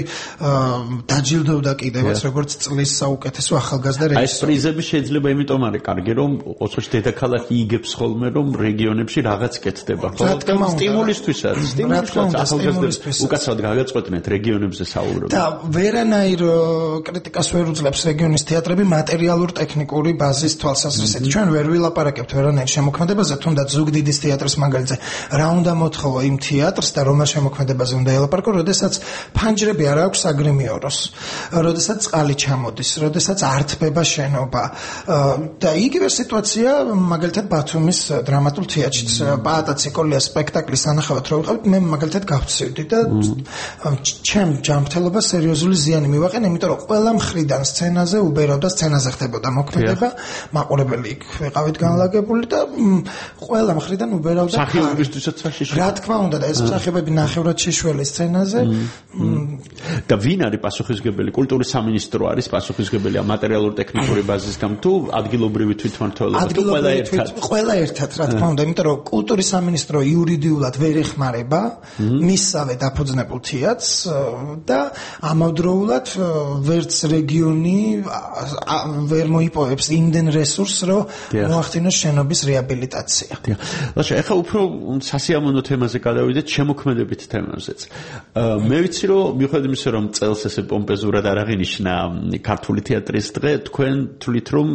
დაჯილდოვდა კიდევაც როგორც წლის საუკეთესო ახალგაზრდა რეჟისორი. აი ეს პრიზები შეიძლება იმიტომ არის კარგი, რომ ოცხოში დედაქალაქი იგებს ხოლმე, რომ რეგიონებში რაღაც კეთდება. ხოლო სტიმულისთვის არის, სტიმულისთვის ახალგაზრდებს უკაცრავად გაგაწ ყვეთნეთ რეგიონებზე საუბრობთ. და ვერანაირ კრიტიკას ვერ უძლებს რეგიონის თეატრები მატერიალურ ტექნიკური ბაზის თვალსაზრისით. ჩვენ ვერ ვილაპარაკებთ ვერანაირ შემოქმედებაზე, თუნდაც ზუგდიდის თეატრის მაგალითზე. რა უნდა მოთხოვო იმ თეატრს და რომელ შემოქმედებაზე უნდა ელაპარაკო, როდესაც ფანჯრები არ აქვს აგრიმიოროს, როდესაც წყალი ჩამოდის, როდესაც ართბება შენობა. და იგივე სიტუაცია მაგალითად ბათუმის დრამატულ თეატრშიც. პაატა ციკოლიას სპექტაკლის ანახავად რო ვიყავით, მე მაგალითად გავცივდი და ჩემ ჯანმრთელობას სერიოზული ზიანი მივაყენა, იმიტომ რომ ყველა მხრიდან სცენაზე უბერავდა, სცენაზე ხდებოდა მოქმედება, მაყურებელი იქ ვიყავით განლაგებული და ყველა მხრიდან უბერავდა. მსახიობებისთვისაც საშიშველი. რა თქმა უნდა და ეს მსახიობები ნახევრად შეშველი სცენაზე. და ვინ არის პასუხისმგებელი? კულტურის სამინისტრო არის პასუხისმგებელი მატერიალურ ტექნიკური ბაზის გამ თუ ადგილობრივი თვითმმართველობა თუ ყველა ერთად? ყველა ერთად, რა თქმა უნდა, იმიტომ რომ კულტურის სამინისტრო იურიდიულად ვერ ეხმარება მისსავე დაფუძნებულ თეატრს და ამავდროულად ვერც რეგიონი ვერ მოიპოვებს იმდენ რესურსს, რომ მოახდინოს შენობის რეაბილიტაცია. ლაშა, ეხლა უფრო სასიამოვნო თემაზე გადავიდეთ, შემოქმედებით თემაზეც. მე ვიცი, რომ მიუხედავად იმისა, რომ წელს ესე პომპეზურად არ აღინიშნა ქართული თეატრის დღე, თქვენ თვლით, რომ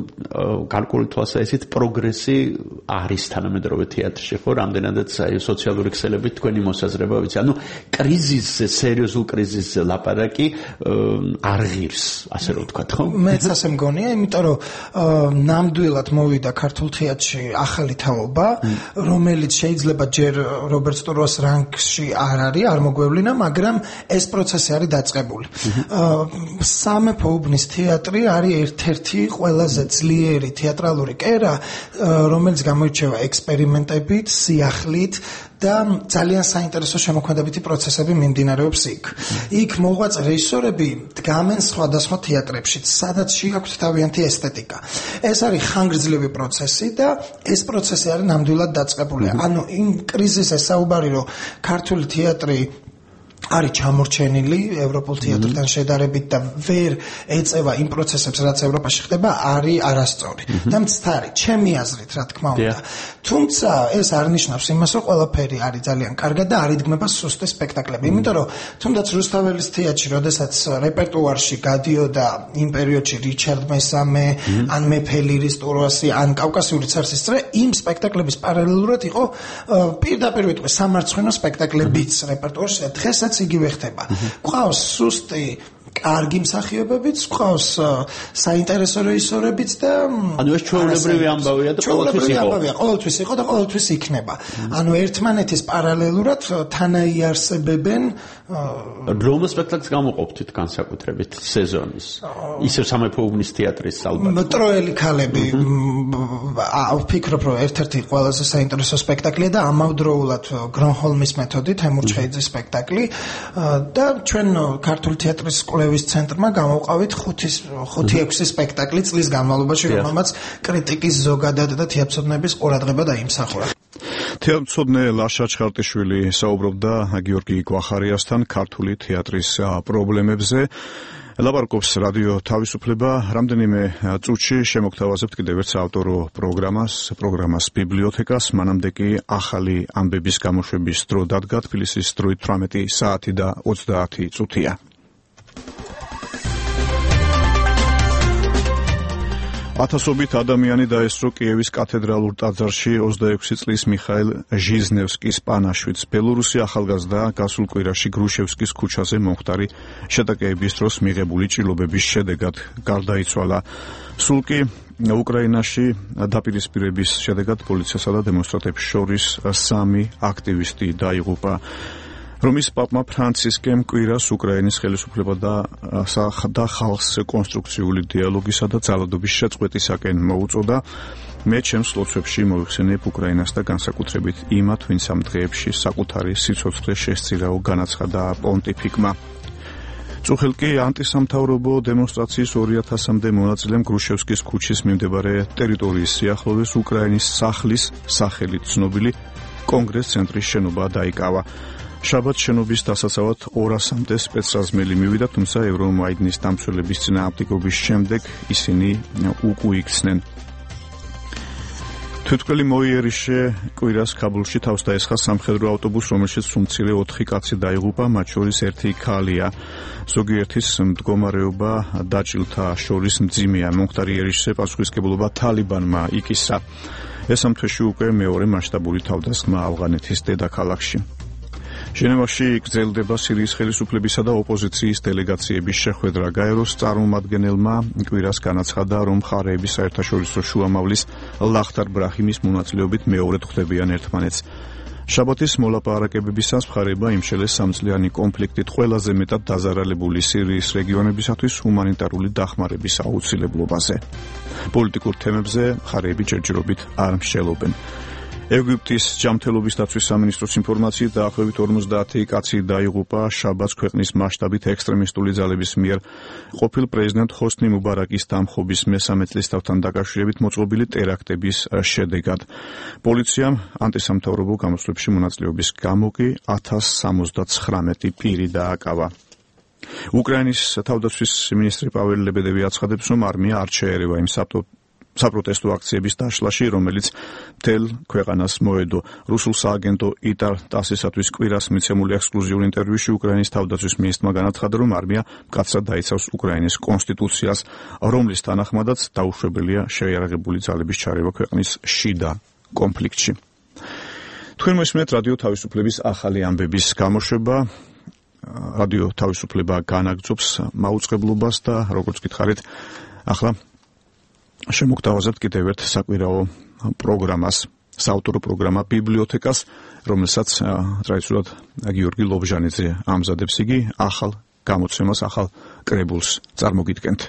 გარკვეული თვალსაზრისით პროგრესი არის თანამედროვე თეატრში, ხო? რამდენადაც სოციალური ქსელებით თქვენი მოსაზრება ვიცი. ანუ კრიზისზე, სერიოზულ კრიზისზე ლაპარაკი არ ღირს, ასე რომ ვთქვათ, ხო? მეც ასე მგონია, იმიტომ რომ ნამდვილად მოვიდა ქართულ თეატრში ახალი თაობა, რომელიც შეიძლება ჯერ რობერტ სტურუას რანგში არ არის, არ მოგვევლინა, მაგრამ ეს პროცესი არის დაწყებული. სამეფო უბნის თეატრი არის ერთ-ერთი ყველაზე ძლიერი თეატრალური კერა, რომელიც გამოირჩევა ექსპერიმენტებით, სიახლით და ძალიან საინტერესო შემოქმედებითი პროცესები მიმდინარეობს იქ. იქ მოღვაწე რეჟისორები დგამენ სხვადასხვა თეატრებში, სადაც შეაქვთ თავიანთი ესთეტიკა. ეს არის ხანგრძლივი პროცესი და ეს პროცესი არის ნამდვილად დაწყებული. ანუ იმ კრიზისზე საუბარი, რომ ქართული თეატრი არის ჩამორჩენილი ევროპულ თეატრთან შედარებით და ვერ ეწევა იმ პროცესებს, რაც ევროპაში ხდება, არის არასწორი. და მცდარი, ჩემი აზრით, რა თქმა უნდა. თუმცა ეს არ ნიშნავს იმას, რომ ყველაფერი არის ძალიან კარგად და არ იდგმება სუსტი სპექტაკლები. იმიტომ რომ თუნდაც რუსთაველის თეატრში, როდესაც რეპერტუარში გადიოდა იმ პერიოდში რიჩარდ მესამე, ან მეფე ლირის ტურვასი, ან კავკასიური ცარსის წრე, იმ სპექტაკლების პარალელურად იყო პირდაპირ ვიტყვი სამარცხვინო სპექტაკლებიც რეპერტუარში და დღესაც იგივე ხდება. გვყავს სუსტი კარგი მსახიობებიც, გვყავს საინტერესო რეჟისორებიც და ანუ ეს ჩვეულებრივი ამბავია და ყოველთვის იყო. ამბავია, ყოველთვის იყო და ყოველთვის იქნება. ანუ ერთმანეთის პარალელურად თანაიარსებებენ რომელ სპექტაკლს გამოყოფთ განსაკუთრებით სეზონის? ისევ სამეფო უბნის თეატრის ალბათ. ტროელი ქალები ვფიქრობ, რომ ერთ-ერთი ყველაზე საინტერესო სპექტაკლია და ამავდროულად გრონჰოლმის მეთოდით თემურჩხეიძის სპექტაკლი და ჩვენ ქართული თეატრის კვლევის ცენტრმა გამოვყავით ხუთი ექვსი სპექტაკლი წლის განმავლობაში, რომელმაც კრიტიკის ზოგადად და თეატრცოდნების ყურადღება დაიმსახურა. თეატრცოდნე ლაშა ჩხარტიშვილი საუბრობდა გიორგი გვახარიასთან ქართული თეატრის პრობლემებზე. ლაპარაკობს რადიო თავისუფლება. რამდენიმე წუთში შემოგთავაზებთ კიდევ ერთ საავტორო პროგრამას, პროგრამას ბიბლიოთეკას. მანამდე კი ახალი ამბების გამოშვების დრო დადგა. თბილისის დროით თვრამეტი საათი და ოცდაათი წუთია. ათასობით ადამიანი დაესწრო კიევის კათედრალურ ტაძარში ოცდაექვსი წლის მიხაილ ჟიზნევსკის პანაშვიდს. ბელორუსი ახალგაზრდა გასულ კვირაში გრუშევსკის ქუჩაზე მომხდარი შეტაკეების დროს მიღებული ჭრილობების შედეგად გარდაიცვალა. სულ კი უკრაინაში დაპირისპირების შედეგად პოლიციასა და დემონსტრანტებს შორის სამი აქტივისტი დაიღუპა. რომის პაპმა ფრანცისკემ კვირას უკრაინის ხელისუფლება და და ხალხს კონსტრუქციული დიალოგისა და ძალადობის შეწყვეტისაკენ მოუწოდა. მე ჩემს ლოცვებში მოიხსენიებ უკრაინას და განსაკუთრებით იმათ, ვინც ამ დღეებში საკუთარი სიცოცხლე შესწირაო, განაცხადა პონტიფიკმა. წუხილ კი ანტისამთავრობო დემონსტრაციის ორი ათასამდე მონაწილემ გრუშევსკის ქუჩის მიმდებარე ტერიტორიის სიახლოვეს უკრაინის სახლის სახელით ცნობილი კონგრეს-ცენტრის შენობა დაიკავა. შაბათ შენობის დასაცავად ორასამდე სპეცრაზმელი მივიდა, თუმცა ევრომაიდნის დამცველების წინააღმდეგობის შემდეგ ისინი უკუიქცნენ. თვითმკვლელი მოიერიშე კვირას ქაბულში თავს დაესხა სამხედრო ავტობუსს, რომელშიც უმცირე ოთხი კაცი დაიღუპა, მათ შორის ერთი ქალია. ზოგიერთის მდგომარეობა დაჭილთა შორის მძიმეა. მომხდარი იერიშზე პასუხისმგებლობა თალიბანმა იკისა. ეს ამ თვეში უკვე მეორე მასშტაბური თავდასხმა ავღანეთის დედაქალაქში. ჟენევაში გრძელდება სირიის ხელისუფლებისა და ოპოზიციის დელეგაციების შეხვედრა. გაეროს წარმომადგენელმა კვირას განაცხადა, რომ მხარეების საერთაშორისო შუამავლის ლახტარ ბრაჰიმის მონაწილეობით მეორედ ხვდებიან ერთმანეთს. შაბათის მოლაპარაკებებისას მხარეება იმშელეს სამწლიანი კონფლიქტით ყველაზე მეტად დაზარალებული სირიის რეგიონებისათვის ჰუმანიტარული დახმარების აუცილებლობაზე. პოლიტიკურ თემებზე მხარეები ჯერჯერობით არ მსჯელობენ. ეგვიპტის ჯანმრთელობის დაცვის სამინისტროს ინფორმაციით დაახლოებით ორმოცდაათი კაცი დაიღუპა შაბათს ქვეყნის მასშტაბით ექსტრემისტული ძალების მიერ ყოფილ პრეზიდენტ ჰოსნი მუბარაკის დამხობის მესამე წლისთავთან დაკავშირებით მოწყობილი ტერაქტების შედეგად. პოლიციამ ანტისამთავრობო გამოსვლებში მონაწილეობის გამო კი ათას სამოცდაცხრამეტი პირი დააკავა. უკრაინის თავდაცვის მინისტრი პაველი ლებედევი აცხადებს, რომ არმია არ შეერევა იმ საპროტესტო აქციების დაშლაში, რომელიც მთელ ქვეყანას მოედო. რუსულ სააგენტო იტარ ტასისათვის კვირას მიცემული ექსკლუზიურ ინტერვიუში უკრაინის თავდაცვის მინისტრმა განაცხადა, რომ არმია მკაცრად დაიცავს უკრაინის კონსტიტუციას, რომლის თანახმადაც დაუშვებელია შეიარაღებული ძალების ჩარევა ქვეყნის შიდა კონფლიქტში. თქვენ მოსმენთ რადიო თავისუფლების ახალი ამბების გამოშვება. რადიო თავისუფლება განაგრძობს მაუწყებლობას და როგორც გითხარით, ახლა შემოგთავაზებთ კიდევ ერთ საკვირაო პროგრამას, საავტორო პროგრამა ბიბლიოთეკას, რომელსაც ტრადიციულად გიორგი ლობჟანიძე ამზადებს. იგი ახალ გამოცემას, ახალ კრებულს წარმოგიდგენთ.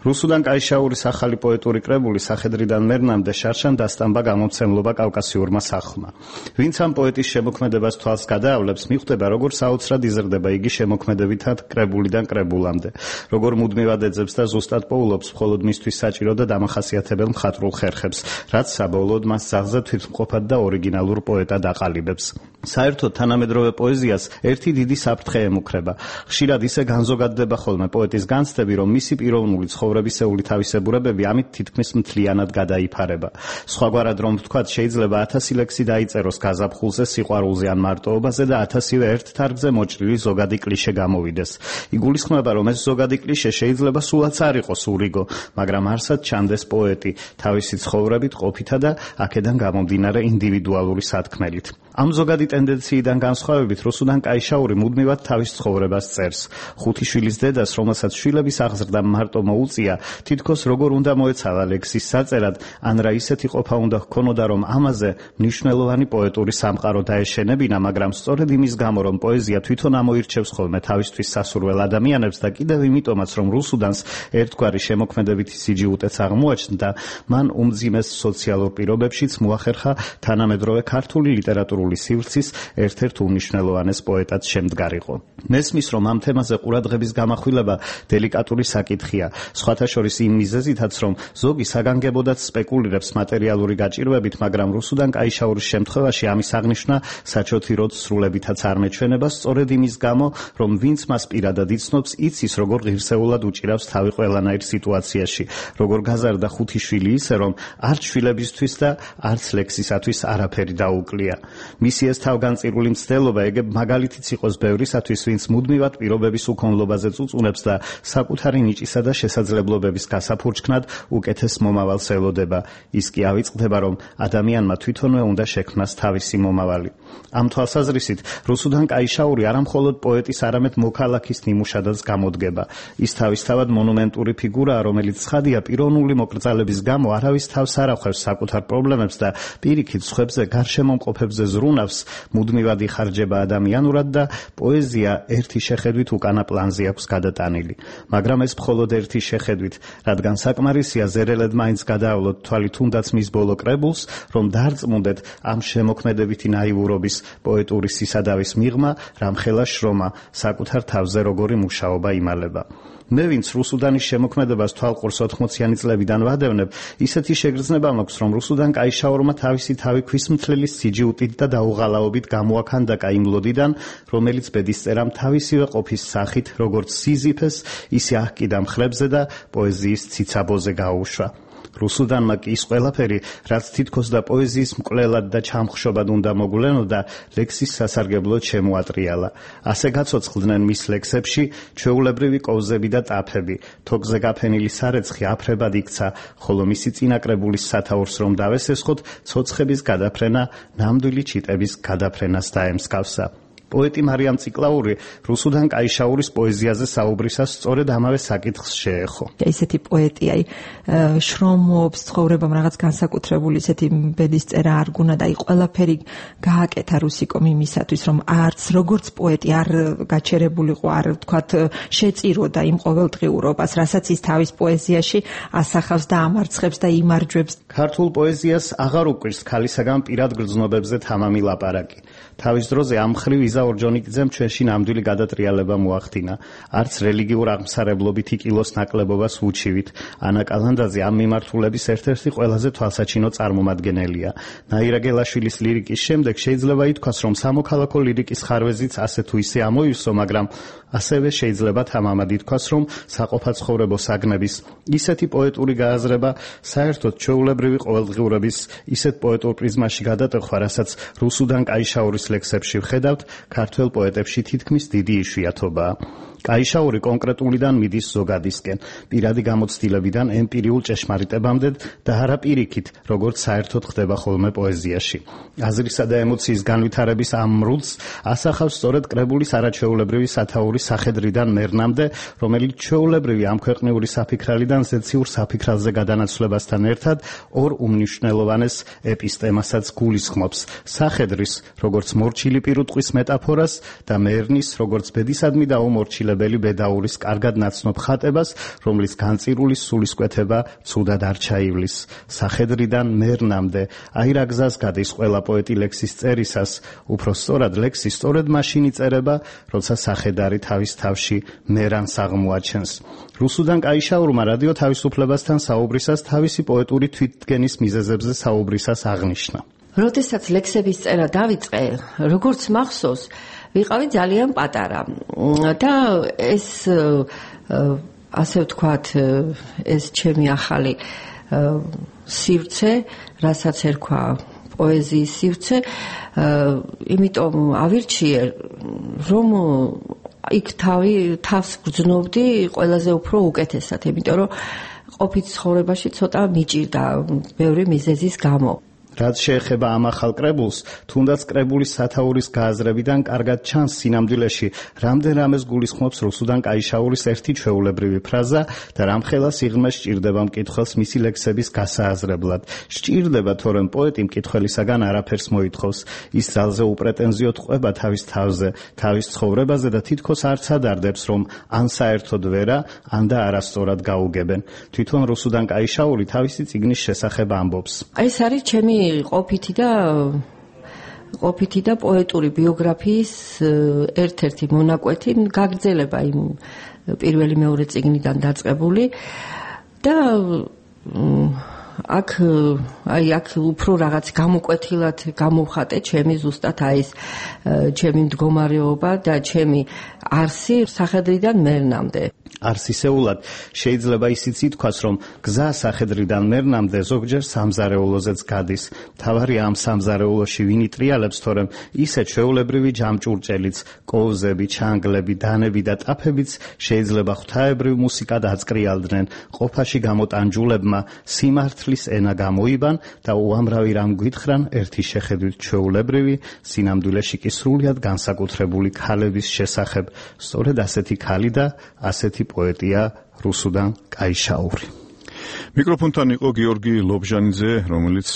რუსუდან კაიშაურის ახალი პოეტური კრებული სახედრიდან მერნამდე შარშან დასტამბა გამომცემლობა კავკასიურმა სახლმა. ვინც ამ პოეტის შემოქმედებას თვალს გადაავლებს, მიხვდება, როგორ საოცრად იზრდება იგი შემოქმედებითად კრებულიდან კრებულამდე, როგორ მუდმივად ეძებს და ზუსტად პოულობს მხოლოდ მისთვის საჭირო და დამახასიათებელ მხატვრულ ხერხებს, რაც საბოლოოდ მას ძაღლზე თვითმყოფად და ორიგინალურ პოეტად აყალიბებს. საერთოდ თანამედროვე პოეზიას ერთი დიდი საფრთხე ემუქრება. ხშირად ისე განზოგადდება ხოლმე პოეტის განცდები, რომ მისი პიროვნული ცხოვრებისეული თავისებურებები ამით თითქმის მთლიანად გადაიფარება. სხვაგვარად რომ ვთქვათ, შეიძლება ათასი ლექსი დაიწეროს გაზაფხულზე, სიყვარულზე ან მარტოობაზე და ათასივე ერთ თარგზე მოჭრილი ზოგადი კლიშე გამოვიდეს. იგულისხმება, რომ ეს ზოგადი კლიშე შეიძლება სულაც არ იყოს ურიგო, მაგრამ არსად ჩანდეს პოეტი თავისი ცხოვრებით, ყოფითა და აქედან გამომდინარე ინდივიდუალური სათქმელით. ამ ზოგადი ტენდენციიდან განსხვავებით, რუსუდან კაიშაური მუდმივად თავის ცხოვრებას წერს. ხუთი შვილის დედას, რომელსაც შვილების აღზრდა მარტო მოუწია, თითქოს როგორ უნდა მოეცალა ლექსის საწერად, ან რა ისეთი ყოფა უნდა ჰქონოდა, რომ ამაზე მნიშვნელოვანი პოეტური სამყარო დაეშენებინა, მაგრამ სწორედ იმის გამო, რომ პოეზია თვითონ ამოირჩევს ხოლმე თავისთვის სასურველ ადამიანებს და კიდევ იმიტომაც, რომ რუსუდანს ერთგვარი შემოქმედებითი სიჯიუტეც აღმოაჩნდა, მან უმძიმეს სოციალურ პირობებშიც მოახერხა თანამედროვე ქართული ლიტერატურული სივრცის ერთ-ერთ უმნიშვნელოვანეს პოეტად შემდგარიყო. მესმის, რომ ამ თემაზე ყურადღების გამახვილება დელიკატური საკითხია, სხვათა შორის იმ მიზეზითაც, რომ ზოგი საგანგებოდაც სპეკულირებს მატერიალური გაჭირვებით, მაგრამ რუსუდან კაიშაურის შემთხვევაში ამის აღნიშვნა საჩოთი როდ სრულებითაც არ მეჩვენება, სწორედ იმის გამო, რომ ვინც მას პირადად იცნობს, იცის, როგორ ღირსეულად უჭირავს თავი ყველანაირ სიტუაციაში, როგორ გაზარდა ხუთი შვილი ისე, რომ არც შვილებისთვის და არც ლექსისათვის არაფერი დაუკლია. მისი ეს თავგანწირული მცდელობა ეგ მაგალითიც იყოს ბევრისათვის, ვინც მუდმივად პირობების უქონლობაზე წუწუნებს და საკუთარი ნიჭისა და შესაძლებლობების გასაფურჩქნად უკეთეს მომავალს ელოდება. ის კი ავიწყდება, რომ ადამიანმა თვითონვე უნდა შექმნას თავისი მომავალი. ამ თვალსაზრისით, რუსუდან კაიშაური არა მხოლოდ პოეტის, არამედ მოქალაქის ნიმუშადაც გამოდგება. ის თავისთავად მონუმენტური ფიგურაა, რომელიც ცხადია პიროვნული მოკრძალების გამო არავის თავს არ ახვევს საკუთარ პრობლემებს და პირიქით სხვებზე გარშემომყოფებზე ზრუნავს, მუდმივად იხარჯება ადამიანურად და პოეზია ერთი შეხედვით უკანა პლანზე აქვს გადატანილი. მაგრამ ეს მხოლოდ ერთი შეხედვით, რადგან საკმარისია ზერელად მაინც გადაავლოთ თვალი თუნდაც მის ბოლო კრებულს, რომ დარწმუნდეთ ამ შემოქმედებითი ნაივურობის პოეტური სისადავის მიღმა, რამხელა შრომა საკუთარ თავზე როგორი მუშაობა იმალება. მე ვინც რუსუდანის შემოქმედებას თვალყურს ოთხმოციანი წლებიდან ვადევნებ, ისეთი შეგრძნება მაქვს, რომ რუსუდან კაიშაურმა თავისი თავი ქვისმთლელის სიჯიუტით და დაუღალაობით გამოაქანდაკა იმ ლოდიდან, რომელიც ბედისწერამ თავისივე ყოფის სახით, როგორც სიზიფეს, ისე აჰკიდა მხრებზე და პოეზიის ციცაბოზე გაუშვა. რუსუდანმა კი ის ყველაფერი, რაც თითქოს და პოეზიის მკვლელად და ჩამხშობად უნდა მოგვლენოდა, ლექსის სასარგებლოდ შემოატრიალა. ასე გაცოცხლდნენ მის ლექსებში ჩვეულებრივი კოვზები და ტაფები, თოქზე გაფენილი სარეცხი აფრებად იქცა, ხოლო მისი წინაკრებულის სათაურს რომ დავესესხოთ, ცოცხების გადაფრენა ნამდვილი ჩიტების გადაფრენას დაემსგავსა. პოეტი მარიამ ციკლაური რუსუდან კაიშაურის პოეზიაზე საუბრისას სწორედ ამავე საკითხს შეეხო. ისეთი პოეტი, აი, შრომობს, ცხოვრებამ რაღაც განსაკუთრებული ისეთი ბედისწერა არ გუნა და აი ყველაფერი გააკეთა რუსიკომ იმისათვის, რომ არც როგორც პოეტი არ გაჩერებულიყო, არ ვთქვათ, შეწიროდა იმ ყოველდღიურობას, რასაც ის თავის პოეზიაში ასახავს და ამარცხებს და იმარჯვებს. ქართულ პოეზიას აღარ უკვირს ქალისაგან პირად გრძნობებზე თამამი ლაპარაკი. თავის დროზე ამ მხრივ იზა ორჯონიკიძემ ჩვენში ნამდვილი გადატრიალება მოახდინა. არც რელიგიურ აღმსარებლობითი კილოს ნაკლებობას უჩივით. ანა კალანდაძე ამ მიმართულების ერთ-ერთი ყველაზე თვალსაჩინო წარმომადგენელია. ნაირა გელაშვილის ლირიკის შემდეგ შეიძლება ითქვას, რომ სამოქალაქო ლირიკის ხარვეზიც ასე თუ ისე ამოივსო, მაგრამ ასევე შეიძლება თამამად ითქვას, რომ საყოფაცხოვრებო საგნების ისეთი პოეტური გააზრება საერთოდ ჩვეულებრივი ყოველდღიურობის ისეთ პოეტურ პრიზმაში გადატეხვა, რასაც რუსუდან კაიშაურის ლექსებში ვხედავთ, ქართველ პოეტებში თითქმის დიდი იშვიათობაა. კაიშაური კონკრეტულიდან მიდის ზოგადისკენ, პირადი გამოცდილებიდან ემპირიულ ჭეშმარიტებამდე და არა პირიქით, როგორც საერთოდ ხდება ხოლმე პოეზიაში. აზრისა და ემოციის განვითარების ამ მრუწს ასახავს სწორედ კრებულის არაჩვეულებრივი სათაურის სახედრიდან მერნამდე, რომელიც ჩვეულებრივი ამქვეყნიური საფიქრალიდან ზეციურ საფიქრალზე გადანაცვლებასთან ერთად ორ უმნიშვნელოვანეს ეპისტემასაც გულისხმობს: სახედრის, როგორც მორჩილი პირუტყვის მეტაფორას და მერნის, როგორც ბედისადმი და უმორჩილებელი ბედაურის კარგად ნაცნობ ხატებას, რომლის განწირულის სულისკვეთება ცუდად არ ჩაივლის. სახედრიდან მერნამდე, აი რა გზას გადის ყველა პოეტი ლექსის წერისას, უფრო სწორად ლექსი სწორედ მაშინ იწერება, როცა სახედარი თავის თავში მერანს აღმოაჩენს. რუსუდან კაიშაურმა რადიო თავისუფლებასთან საუბრისას თავისი პოეტური თვითდგენის მიზეზებზე საუბრისას აღნიშნა. როდესაც ლექსების წერა დავიწყე, როგორც მახსოვს, ვიყავი ძალიან პატარა და ეს ასე ვთქვათ, ეს ჩემი ახალი სივრცე, რასაც ერქვა პოეზიის სივრცე, იმიტომ ავირჩიე, რომ იქ თავი თავს გრძნობდი ყველაზე უფრო უკეთესად, იმიტომ რომ ყოფით ცხოვრებაში ცოტა მიჭირდა ბევრი მიზეზის გამო. რაც შეეხება ამ ახალ კრებულს, თუნდაც კრებულის სათაურის გააზრებიდან კარგად ჩანს სინამდვილეში, რამდენ რამეს გულისხმობს რუსუდან კაიშაურის ერთი ჩვეულებრივი ფრაზა და რამხელა სიღრმე სჭირდება მკითხველს მისი ლექსების გასააზრებლად. სჭირდება, თორემ პოეტი მკითხველისაგან არაფერს მოითხოვს. ის ძალზე უპრეტენზიოდ ყვება თავის თავზე, თავის ცხოვრებაზე და თითქოს არც ადარდებს, რომ ან საერთოდ ვერა, ან და არასწორად გაუგებენ. თვითონ რუსუდან კაიშაური თავისი წიგნის შესახებ ამბობს. ეს არის ჩემი ყოფითი და ყოფითი და პოეტური ბიოგრაფიის ერთ-ერთი მონაკვეთი, გაგრძელება იმ პირველი მეორე წიგნიდან დაწყებული და აქ აი აქ უფრო რაღაც გამოკვეთილად გამოვხატე ჩემი ზუსტად აი ეს ჩემი მდგომარეობა და ჩემი არსი სახედრიდან მერნამდე. არსისეულად შეიძლება ისიც ითქვას, რომ გზა სახედრიდან მერნამდე ზოგჯერ სამზარეულოზეც გადის. თავარია ამ სამზარეულოში ვინ იტრიალებს, თორემ ისეთ ჩვეულებრივი ჯამჭურჭელიც, კოვზები, ჩანგლები, დანები და ტაფებიც შეიძლება ღვთაებრივ მუსიკად აწკრიალდნენ. ყოფაში გამოტანჯულებმა სიმართლის ენა გამოიბან და უამრავი რამ გვითხრან ერთი შეხედვით ჩვეულებრივი, სინამდვილეში კი სრულიად განსაკუთრებული ქალების შესახებ. სწორედ ასეთი ქალი და ასეთი პოეტია რუსუდან კაიშაური. მიკროფონთან იყო გიორგი ლობჟანიძე, რომელიც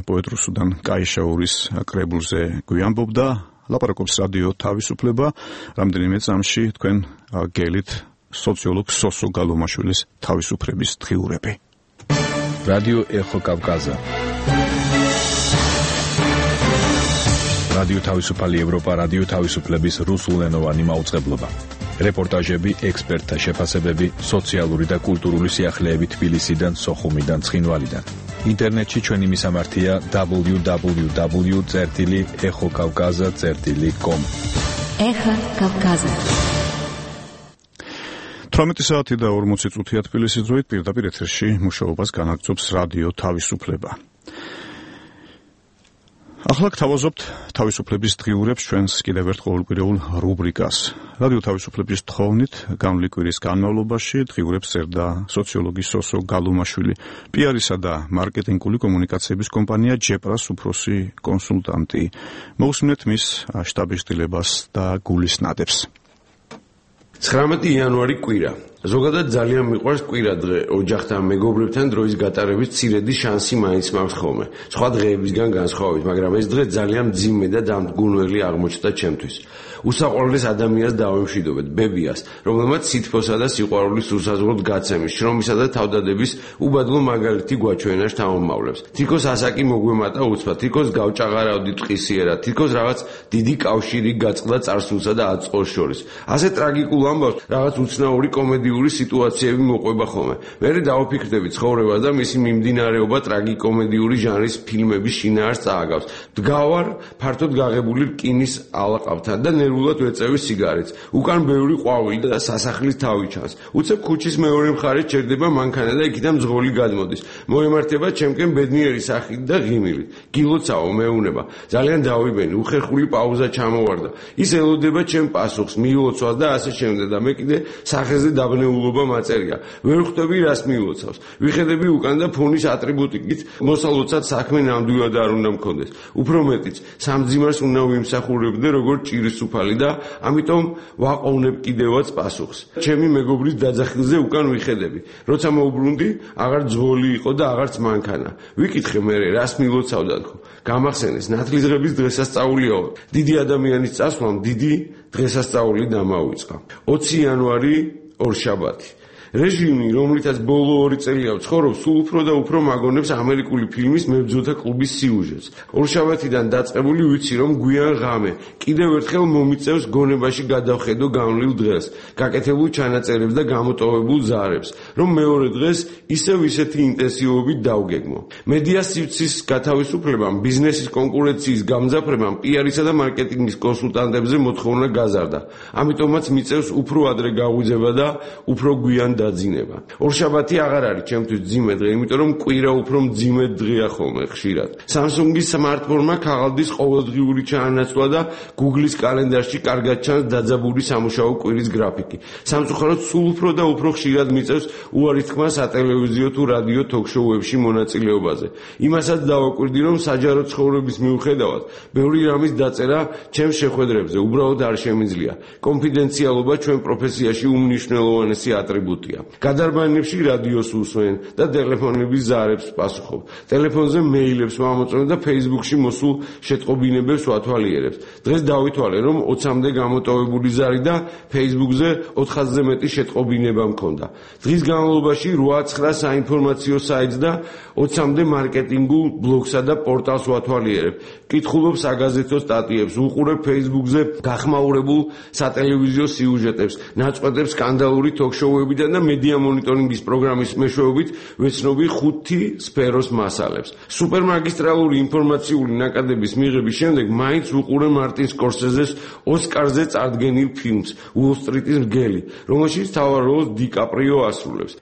პოეტ რუსუდან კაიშაურის კრებულზე გვიამბობდა. ლაპარაკობს რადიო თავისუფლება. რამდენიმე წამში თქვენ გელით სოციოლოგ სოსო გალომაშვილის თავისუფლების დღიურები. რადიო ეხო კავკაზა. რადიო თავისუფალი ევროპა, რადიო თავისუფლების რუსულენოვანი მაუწყებლობა. რეპორტაჟები, ექსპერტთა შეფასებები, სოციალური და კულტურული სიახლეები თბილისიდან, სოხუმიდან, ცხინვალიდან. ინტერნეტში ჩვენი მისამართია დაბლიუ დაბლიუ დაბლიუ წერტილი ეხო კავკაზა წერტილი კომ. ეხა კავკაზა. თვრამეტი საათი და ორმოცი წუთია თბილისის დროით პირდაპირ ეთერში მუშაობას განაგრძობს რადიო თავისუფლება. ახლა გთავაზობთ თავისუფლების დღიურებს ჩვენს კიდევ ერთ ყოველკვირეულ რუბრიკას. რადიო თავისუფლების თხოვნით გამლი კვირის განმავლობაში დღიურებს წერდა სოციოლოგი სოსო გალომაშვილი, პიარისა და მარკეტინგული კომუნიკაციების კომპანია ჯეპრას უფროსი კონსულტანტი. მოусმინეთ მის შტაბის-ღირსებას და გულისნადებს. ცხრამეტი იანვარი კვირა. ზოგადად ძალიან მიყვარს კვირა დღე, ოჯახთან, მეგობრებთან დროის გატარების მცირედი შანსი მაინც მაქვს ხოლმე. სხვა დღეებისგან განსხვავებით, მაგრამ ეს დღე ძალიან მძიმე და დამდგუნველი აღმოჩნდა ჩემთვის. უსაყვარლეს ადამიანს დავემშვიდობეთ, ბებიას, რომელმაც სითბოსა და სიყვარულის უსაზღვროდ გაცემის, შრომისა და თავდადების უბადლო მაგალითი გვაჩვენა შთამომავლებს. თითქოს ასაკი მოგვემატა უცბად, თითქოს გავჭაღარავდი ტყისიერად, თითქოს რაღაც დიდი კავშირი გაწყდა წარსულსა და აწმყოს შორის. ასე ტრაგიკულ ამბავს რაღაც უცნაური კომედიური სიტუაციები მოყვება ხოლმე. მერე დავაფიქრდები ცხოვრება და მისი მიმდინარეობა ტრაგიკომედიური ჟანრის ფილმების შინაარს წააგავს. დგავარ ფართოდ გაღებული რკინის ალაყავთან და ნერვულად ვეწევი სიგარეტს. უკან ბევრი ყვავილი და სასახლის თავი ჩანს. უცებ ქუჩის მეორე მხარეს ჩერდება მანქანა და იქიდან მძღოლი გადმოდის. მოემართება ჩემკენ ბედნიერი სახით და ღიმილით. გილოცავ მეუნება. ძალიან დავიბენი, უხერხული პაუზა ჩამოვარდა. ის ელოდება ჩემ პასუხს, მიილოცვას და ასე შემდეგ და მე კიდე სახეზე დაბნეულობა მაწერია. ვერ ხვდები რას მიილოცავს. ვიხედები უკან და ფონის ატრიბუტიკით მოსალოცად საქმე ნამდვილად არ უნდა მქონდეს. უფრო მეტიც, სამძიმარს უნდა ვიმსახურებდე როგორც ჭირის უფალი და ამიტომ ვაყოვნებ კიდევაც პასუხს. ჩემი მეგობრის დაძახილზე უკან ვიხედები. როცა მოუბრუნდი, აღარ ძღოლი იყო და აღარც მანქანა. ვიკითხე მერე, რას მიილოცავდა თქო. გამახსენეს, ნათლისღების დღესასწაულიო. დიდი ადამიანის წასვლამ დიდი დღესასწაული დამავიწყა. ოცი იანვარი ორშაბათი. რეჟიმი, რომლითაც ბოლო ორი წელია ვცხოვრობ, სულ უფრო და უფრო მაგონებს ამერიკული ფილმის მებრძოლთა კლუბის სიუჟეტს. ორშაბათიდან დაწყებული ვიცი, რომ გვიან ღამე კიდევ ერთხელ მომიწევს გონებაში გადავხედო გამლილ დღეს, გაკეთებულ ჩანაწერებს და გამოტოვებულ ზარებს, რომ მეორე დღეს ისევ ისეთი ინტენსივობით დავგეგმო. მედია სივრცის გათავისუფლებამ, ბიზნესის კონკურენციის გამძაფრებამ, პიარისა და მარკეტინგის კონსულტანტებზე მოთხოვნა გაზარდა. ამიტომაც მიწევს უფრო ადრე გაღვიძება და უფრო გვიან დაძინება. ორშაბათი აღარ არის ჩემთვის მძიმე დღე, იმიტომ რომ კვირა უფრო მძიმე დღეა ხოლმე ხშირად. Samsung-ის smartphone-მა ქაღალდის ყოველდღიური ჩაანაცვლა და Google-ის კალენდარში კარგად ჩანს დაძაბული სამუშაო კვირის გრაფიკი. სამწუხაროდ სულ უფრო და უფრო ხშირად მიწევს უარის თქმა სატელევიზიო თუ რადიო თოქ-შოუებში მონაწილეობაზე. იმასაც დავაკვირდი, რომ საჯარო ცხოვრების მიუხედავად, ბევრი რამის დაწერა ჩემს შეხვედრებზე უბრალოდ არ შემიძლია. კონფიდენციალობა ჩვენ პროფესიაში უმნიშვნელოვანესი ატრიბუტია. გადარბანებში რადიოს უსმენ და ტელეფონების ზარებს პასუხობ. ტელეფონზე მეილებს ვამოწმებ და Facebook-ში მოსულ შეტყობინებებს ვათვალიერებს. დღეს დავითვალე, რომ ოცამდე გამოტოვებული ზარი და Facebook-ზე ოთხასზე მეტი შეტყობინება მქონდა. დღის განმავლობაში რვა ცხრა საინფორმაციო საიტს და ოცამდე მარკეტინგულ ბლოგსა და პორტალს ვათვალიერებ. კითხულობ საგაზეთო სტატიებს, უყურებ Facebook-ზე გახმაურებულ სატელევიზიო სიუჟეტებს, ნაწყვეტებს სკანდალური თოქ-შოუებიდან და მედია მონიტორინგის პროგრამის მეშვეობით ვეცნობი ხუთი სფეროს მასალებს. სუპერმაგისტრალური ინფორმაციული ნაკადების მიღების შემდეგ მაინც ვუყურე მარტინ სკორსეზეს ოსკარზე წარდგენილ ფილმს უოლ სტრიტის მგელი, რომელშიც მთავარ როლს დიკაპრიო ასრულებს.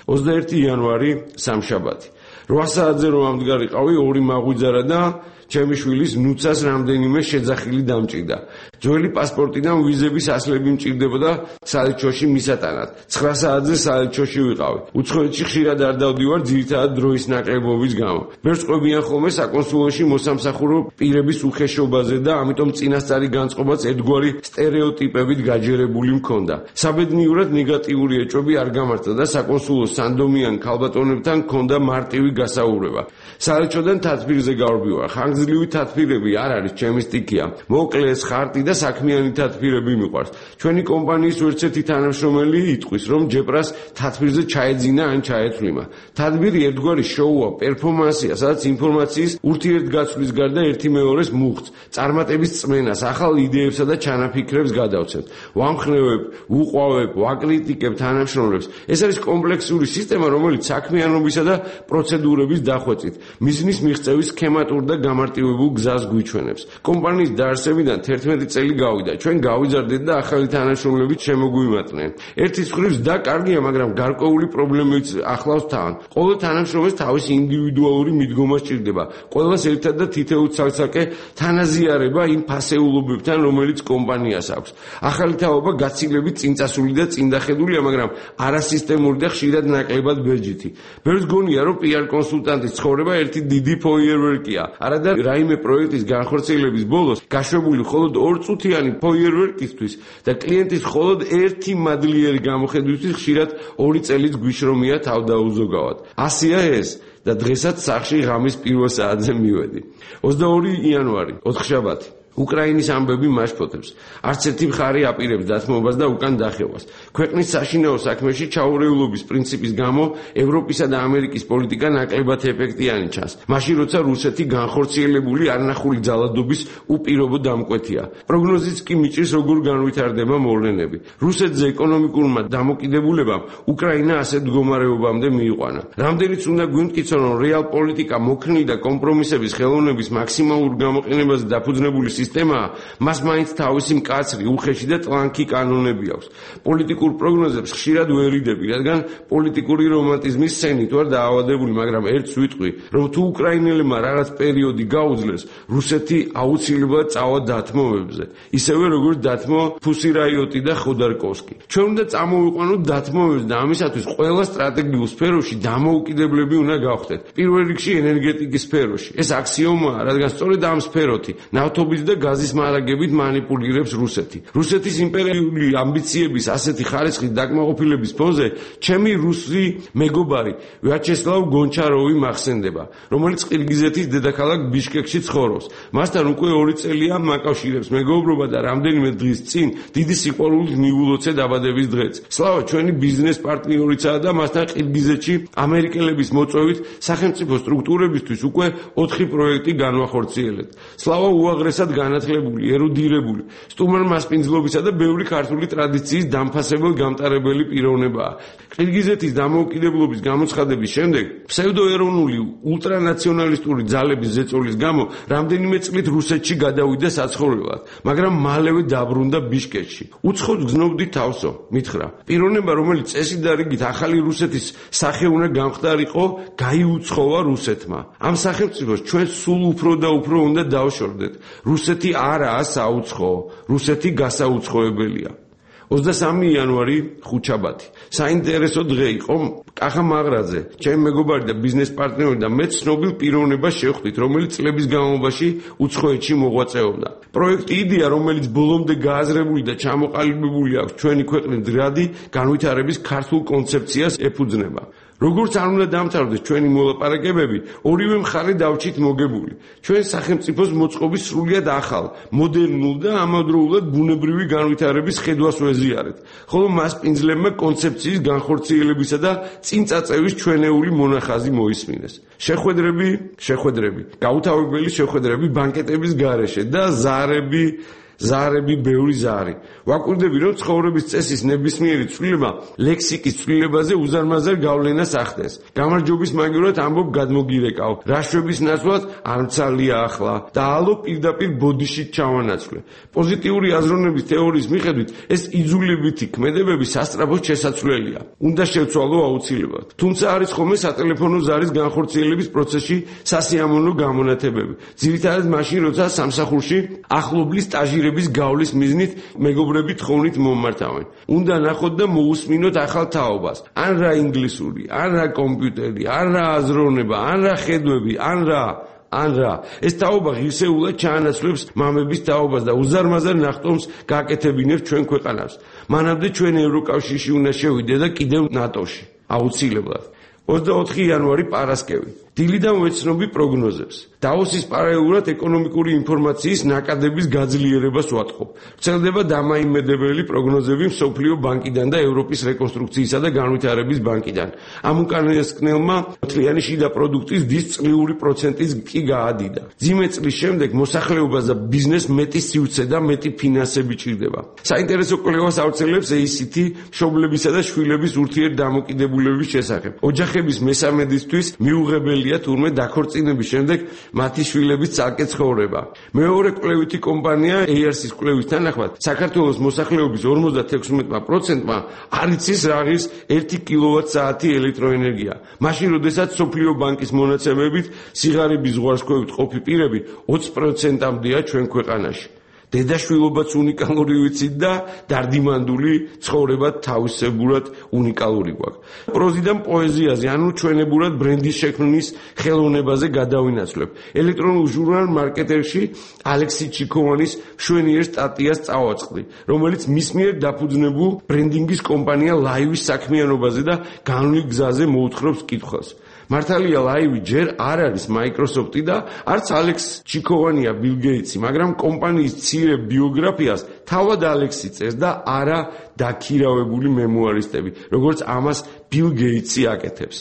ოცდაერთი იანვარი სამშაბათი. რვა საათზე რომ ამდგარიყავი ორი მაღვიძარა და ჩემი შვილის ნუცას რამდენიმე შეძახილი დამჭირდა. ძველი პასპორტიდან ვიზების ასლები მჭირდებოდა საელჩოში მისატანად. ცხრა საათზე საელჩოში ვიყავი. უცხოეთში ხშირად არ დავდივარ ძირითადად დროის ნაკლებობის გამო. ბევრს ყვებიან ხოლმე საკონსულოში მოსამსახურო პირების უხეშობაზე და ამიტომ წინასწარი განწყობაც ერთგვარი სტერეოტიპებით გაჯერებული მქონდა. საბედნიეროდ ნეგატიური ეჭვები არ გამართა და საკონსულო სანდომიან ქალბატონებთან მქონდა მარტივი გასაუბრება. საელჩოდან თათბირზე გავრბივარ. ხანგრძლივი თათბირები არ არის ჩემი სტიქია. მოკლეს ხარტი და საქმიანი თათბირები მიყვარს. ჩვენი კომპანიის ვერცერთი თანამშრომელი იტყვის, რომ ჯეპრას თათბირზე ჩაეძინა ან ჩაეთვლიმა. თათბირი ერთგვარი შოუა, პერფორმანსია, სადაც ინფორმაციის ურთიერთგაცვლის გარდა ერთი მეორეს მუხტს, წარმატების წმენას, ახალ იდეებსა და ჩანაფიქრებს გადავცემთ. ვამხნევებ, ვუყვავებ, ვაკრიტიკებ თანამშრომლებს. ეს არის კომპლექსური სისტემა, რომელიც საქმიანობისა და პროცედურების დახვეწით მიზნის მიღწევის სქემატურ და გამარტივებულ გზას გვიჩვენებს. კომპანიის დაარსებიდან თერთმეტი წელი გავიდა. ჩვენ გავიზარდეთ და ახალი თანამშრომლებით შემოგვიმატნენ. ერთის მხრივ და კარგია, მაგრამ გარკვეული პრობლემებიც ახლავს თან. ყოველ თანამშრომელს თავისი ინდივიდუალური მიდგომა სჭირდება. ყველას ერთად და თითოეულ ცალ-ცალკე თანაზიარება იმ ფასეულობებთან, რომელიც კომპანიას აქვს. ახალი თაობა გაცილებით წინწასული და წინდახედულია, მაგრამ არასისტემური და ხშირად ნაკლებად ბეჯითი. ბევრს გონია, რომ პი არ კონსულტანტის ცხოვრება ერთი დიდი ფოიერვერკია. არადა რაიმე პროექტის განხორციელების ბოლოს გაშვებული მხოლოდ ორწუთიანი ფოიერვერკისთვის და კლიენტის მხოლოდ ერთი მადლიერი გამოხედვისთვის ხშირად ორი წელიც გვიშრომია თავდაუზოგავად. ასია ეს და დღესაც სახში ღამის პირველ საათზე მივედი. ოცდაორი იანვარი, ოთხშაბათი. უკრაინის ამბები მაშფოთებს. არც ერთი მხარე აპირებს დათმობას და უკან დახევას. ქვეყნის საშინაო საქმეში ჩაურევლობის პრინციპის გამო ევროპისა და ამერიკის პოლიტიკა ნაკლებად ეფექტიანი ჩანს. მაშინ როცა რუსეთი განხორციელებული არნახული ძალადობის უპირობო დამკვეთია. პროგნოზიც კი მიჭირს, როგორ განვითარდება მოვლენები. რუსეთზე ეკონომიკურმა დამოკიდებულებამ უკრაინა ასეთ მდგომარეობამდე მიიყვანა. რამდენიც უნდა გვიმტკიცონ, რომ რეალ პოლიტიკა მოქნილი და კომპრომისების ხელოვნების მაქსიმალურ გამოყენებაზე დაფუძნებული სისტემაა, მას მაინც თავისი მკაცრი, უხეში და ტლანქი კანონები აქვს. პოლიტიკურ პროგნოზებს ხშირად ვერიდები, რადგან პოლიტიკური რომანტიზმის სცენით ვარ დაავადებული, მაგრამ ერთს ვიტყვი, რომ თუ უკრაინელებმა რაღაც პერიოდი გაუძლეს, რუსეთი აუცილებლად წავა დათმობებზე, ისევე როგორც დათმო ფუსირაიოტი და ხოდარკოვსკი. ჩვენ უნდა წამოვიყვანოთ დათმობებს და ამისათვის ყველა სტრატეგიულ სფეროში დამოუკიდებლები უნდა გავხდეთ. პირველ რიგში ენერგეტიკის სფეროში. ეს აქსიომაა, რადგან სწორედ ამ სფეროთი ნავთობის და გაზის მარაგებით მანიპულირებს რუსეთი. რუსეთის იმპერიული ამბიციების ასეთი ხარისხის დაკმაყოფილების ფონზე ჩემი რუსი მეგობარი ვიაჩესლავ გონჩაროვი მახსენდება, რომელიც ყირგიზეთის დედაქალაქ ბიშკეკში ცხოვრობს. მასთან უკვე ორი წელია მაკავშირებს მეგობრობა და რამდენიმე დღის წინ დიდი სიყვარულით მივულოცე დაბადების დღეც. სლავა ჩვენი ბიზნეს პარტნიორიცაა და მასთან ყირგიზეთში ამერიკელების მოწვევით სახელმწიფო სტრუქტურებისთვის უკვე ოთხი პროექტი განვახორციელებთ. სლავა უაღრესად განათლებული, ერუდირებული, სტუმარ მასპინძლობისა და ბევრი ქართული ტრადიციის დამფასებელ გამტარებელი პიროვნებაა. ყირგიზეთის დამოუკიდებლობის გამოცხადების შემდეგ ფსევდოეროვნული ულტრანაციონალისტური ძალების ზეწოლის გამო რამდენიმე წლით რუსეთში გადავიდა საცხოვრებლად, მაგრამ მალევე დაბრუნდა ბიშკეკში. უცხოდ გზნობდი თავსო, მითხრა. პიროვნება, რომელიც წესით და რიგით ახალი რუსეთის სახე უნდა გამხდარიყო, გაიუცხოვა რუსეთმა. ამ სახელმწიფოს ჩვენ სულ უფრო და უფრო უნდა დავშორდეთ. რუსეთი არაა საუცხოო, რუსეთი გასაუცხოებელია. ოცდასამი იანვარი, ხუთშაბათი. საინტერესო დღე იყო. კახა მაღრაძე, ჩემი მეგობარი და ბიზნეს პარტნიორი და მე ცნობილ პიროვნებას შევხვდით, რომელიც წლების განმავლობაში უცხოეთში მოღვაწეობდა. პროექტი იდეა, რომელიც ბოლომდე გააზრებული და ჩამოყალიბებული აქვს ჩვენი ქვეყნის ძრადი განვითარების ქართულ კონცეფციას ეფუძნება. როგორც არ უნდა დამთავრდეს ჩვენი მოლაპარაკებები, ორივე მხარე დავჭით მოგებული. ჩვენ სახელმწიფოს მოწყობის სრულიად ახალ, მოდერნულ და ამავდროულად ბუნებრივი განვითარების ხედვას ვეზიარეთ, ხოლო მასპინძლებმა კონცეფციის განხორციელებისა და წინწაწევის ჩვენეული მონახაზი მოისმინეს. შეხვედრები, შეხვედრები, გაუთავებელი შეხვედრები ბანკეტების გარეშე და ზარები ზარები, ბევრი ზარი. ვაკვირდები, რომ ცხოვრების წესის ნებისმიერი ცვლილება ლექსიკის ცვლილებაზე უზარმაზარ გავლენას ახდენს. გამარჯვების მაგივრად ამბობ გადმოგირეკავ, რაშვების ნაცვლად არმცალია ახლა და ალო პირდაპირ ბოდიშით ჩავანაცვლე. პოზიტიური აზროვნების თეორიის მიხედვით ეს იძულებითი ქმედებები სასწრაფოდ შესაძლებელია. უნდა შევცვალო აუცილებლად. თუმცა არის ხოლმე სატელეფონო ზარის განხორციელების პროცესში სასიამოვნო გამონათებები. ძირითადად მაშინ, როცა სამსახურში ახლობლის სტაჟირების გავლის მიზნით მეგობრები თხოვნით მომმართავენ. უნდა ნახოთ და მოусმინოთ ახალ თაობას. ან რა ინგლისური, ან რა კომპიუტერი, ან რა აზროვნება, ან რა ხედვები, ან რა ან რა ეს თაობა ღირსეულად ჩაანაცვლებს მამების თაობას და უზარმაზარ ნახტომს გააკეთებინებს ჩვენ ქვეყანას. მანამდე ჩვენ ევროკავშირში უნდა შევიდე და კიდევ ნატოში. აუცილებლად. ოცდაოთხი იანვარი პარასკევი. დილიდან ვეცნობი პროგნოზებს. დავოსის პარალელურად ეკონომიკური ინფორმაციის ნაკადების გაძლიერებას ვატყობ. ვრცელდება დამაიმედებელი პროგნოზები მსოფლიო ბანკიდან და ევროპის რეკონსტრუქციისა და განვითარების ბანკიდან. ამ უკანასკნელმა მთლიანი შიდა პროდუქტის დის წლიური პროცენტის კი გაადიდა. მძიმე წლის შემდეგ მოსახლეობას და ბიზნესს მეტი სივრცე და მეტი ფინანსები ჭირდება. საინტერესო კვლევას ავრცელებს ეი სი თი მშობლებისა და შვილების ურთიერთდამოკიდებულების შესახებ. ოჯახების მესამედისთვის მიუღებელია თურმე დაქორწინების შემდეგ მათი შვილების ცალკე ცხოვრება. მეორე კვლევითი კომპანია ეი არ სი-ის კვლევის თანახმად, საქართველოს მოსახლეობის ორმოცდათექვსმეტ პროცენტმა არ იცის რა არის ერთი კილოვატ-საათი ელექტროენერგია. მაშინ, როდესაც მსოფლიო ბანკის მონაცემებით სიღარიბის ზღვარსქვევით ყოფი პირები ოცი პროცენტამდეა ჩვენ ქვეყანაში. დედაშვილობაც უნიკალური ვიცით და დარდიმანდული ცხოვრება თავისებურად უნიკალური გვაქვს. პროზიდან პოეზიაზე, ანუ ჩვენებურად ბრენდის შექმნის ხელოვნებაზე გადავინაცვლებ. ელექტრონულ ჟურნალ მარკეტერში ალექსი ჩიქოვანის მშვენიერ სტატიას წავაწყდი, რომელიც მის მიერ დაფუძნებულ ბრენდინგის კომპანია ლაივის საქმიანობაზე და განვლილ გზაზე მოუთხრობს კითხვას. მართალია ლაივი ჯერ არ არის Microsoft-ი და არც ალექს ჩიქოვანია ბილ გეიტსი, მაგრამ კომპანიის მცირე ბიოგრაფიას თავად ალექსი წერს და არა დაქირავებული მემუარისტები, როგორც ამას ბილ გეიტსი აკეთებს.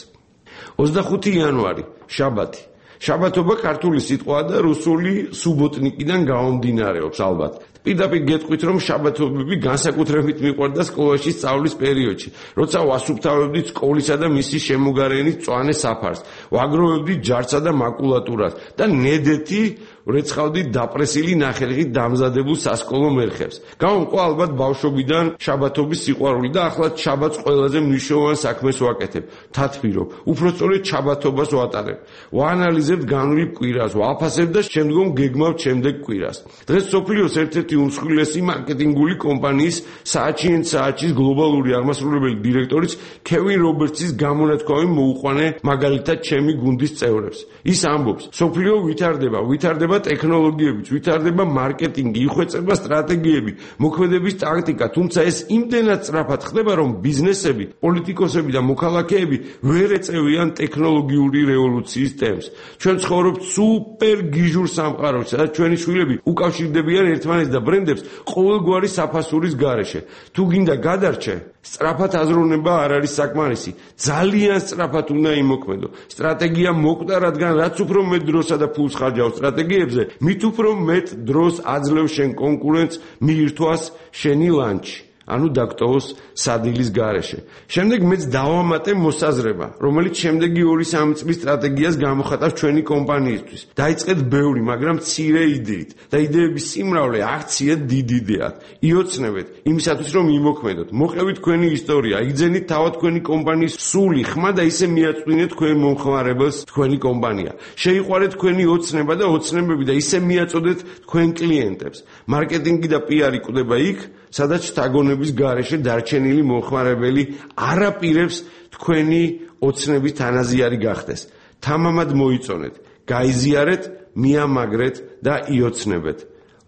ოცდახუთი იანვარი, შაბათი. შაბათობა ქართული სიტყვაა და რუსული სუბოტნიკიდან გამომდინარეობს ალბათ. პირდაპირ გეტყვით, რომ შაბათობები განსაკუთრებით მიყვარდა სკოლაში სწავლის პერიოდში, როცა ვასუფთავებდით სკოლისა და მისი შემოგარენის მწვანე საფარს, ვაგროვებდით ჯარსა და მაკულატურას და ნედეთი ვრეცხავდით დაპრესილი ნახევრით დამზადებულ სასკოლო მერხებს. გამომყვა ალბათ ბავშვობიდან შაბათობის სიყვარული და ახლაც შაბათს ყველაზე მნიშვნელოვან საქმეს ვაკეთებ. თათბირო, უფრო სწორედ შაბათობას ვატარებ. ვაანალიზებ განვლილ კვირას, ვაფასებ და შემდგომ გეგმავ შემდეგ კვირას. დღეს სოფლიოს ერთ-ერთი უმსხვილესი მარკეტინგული კომპანიის საათში ან საათის გლობალური აღმასრულებელი დირექტორის კევინ რობერტსის გამონათქვამი მოუყვანე მაგალითად ჩემი გუნდის წევრებს. ის ამბობს, სოფლიო ვითარდება, ვითარდება ტექნოლოგიებიც, ვითარდება მარკეტინგი, იხვეწება სტრატეგიები, მოქმედების ტაქტიკა, თუმცა ეს იმდენად სწრაფად ხდება, რომ ბიზნესები, პოლიტიკოსები და მოქალაქეები ვერ ეწევიან ტექნოლოგიური რევოლუციის ტემპს. ჩვენ ცხოვრობთ სუპერ გიჟურ სამყაროში, სადაც ჩვენი შვილები უკავშირდებიან ერთმანეთს და ბრენდებს ყოველგვარი საფასურის გარეშე. თუ გინდა გადარჩე, სწრაფად აზროვნება არ არის საკმარისი. ძალიან სწრაფად უნდა იმოქმედო. სტრატეგია მოკვდა, რადგან რაც უფრო მეტ დროსა და ფულს ხარჯავ სტრატეგიებზე, მით უფრო მეტ დროს აძლევ შენ კონკურენტს მიირთვას შენი ლანჩი. ანუ დაგტოვოს სადილის გარეშე. შემდეგ მეც დავამატე მოსაზრება, რომელიც შემდეგი ორი სამი წლის სტრატეგიას გამოხატავს ჩვენი კომპანიისთვის. დაიწყეთ ბევრი, მაგრამ მცირე იდეით და იდეების სიმრავლე აქციეთ დიდ იდეად. იოცნებეთ იმისათვის, რომ იმოქმედოთ. მოყევით თქვენი ისტორია, იგზენით თავად თქვენი კომპანიის სული, ხმა და ისე მიაწვინეთ თქვენ მომხმარებელს თქვენი კომპანია. შეიყვარეთ თქვენი ოცნება და ოცნებები და ისე მიაწოდეთ თქვენ კლიენტებს. მარკეტინგი და პი არი კვდება იქ, სადაც შთაგონების გარეშე დარჩენილი მომხმარებელი არაპირებს თქვენი ოცნების თანაზიარი გახდეს. თამამად მოიწონეთ, გაიზიარეთ, მიამაგრეთ და იოცნებეთ.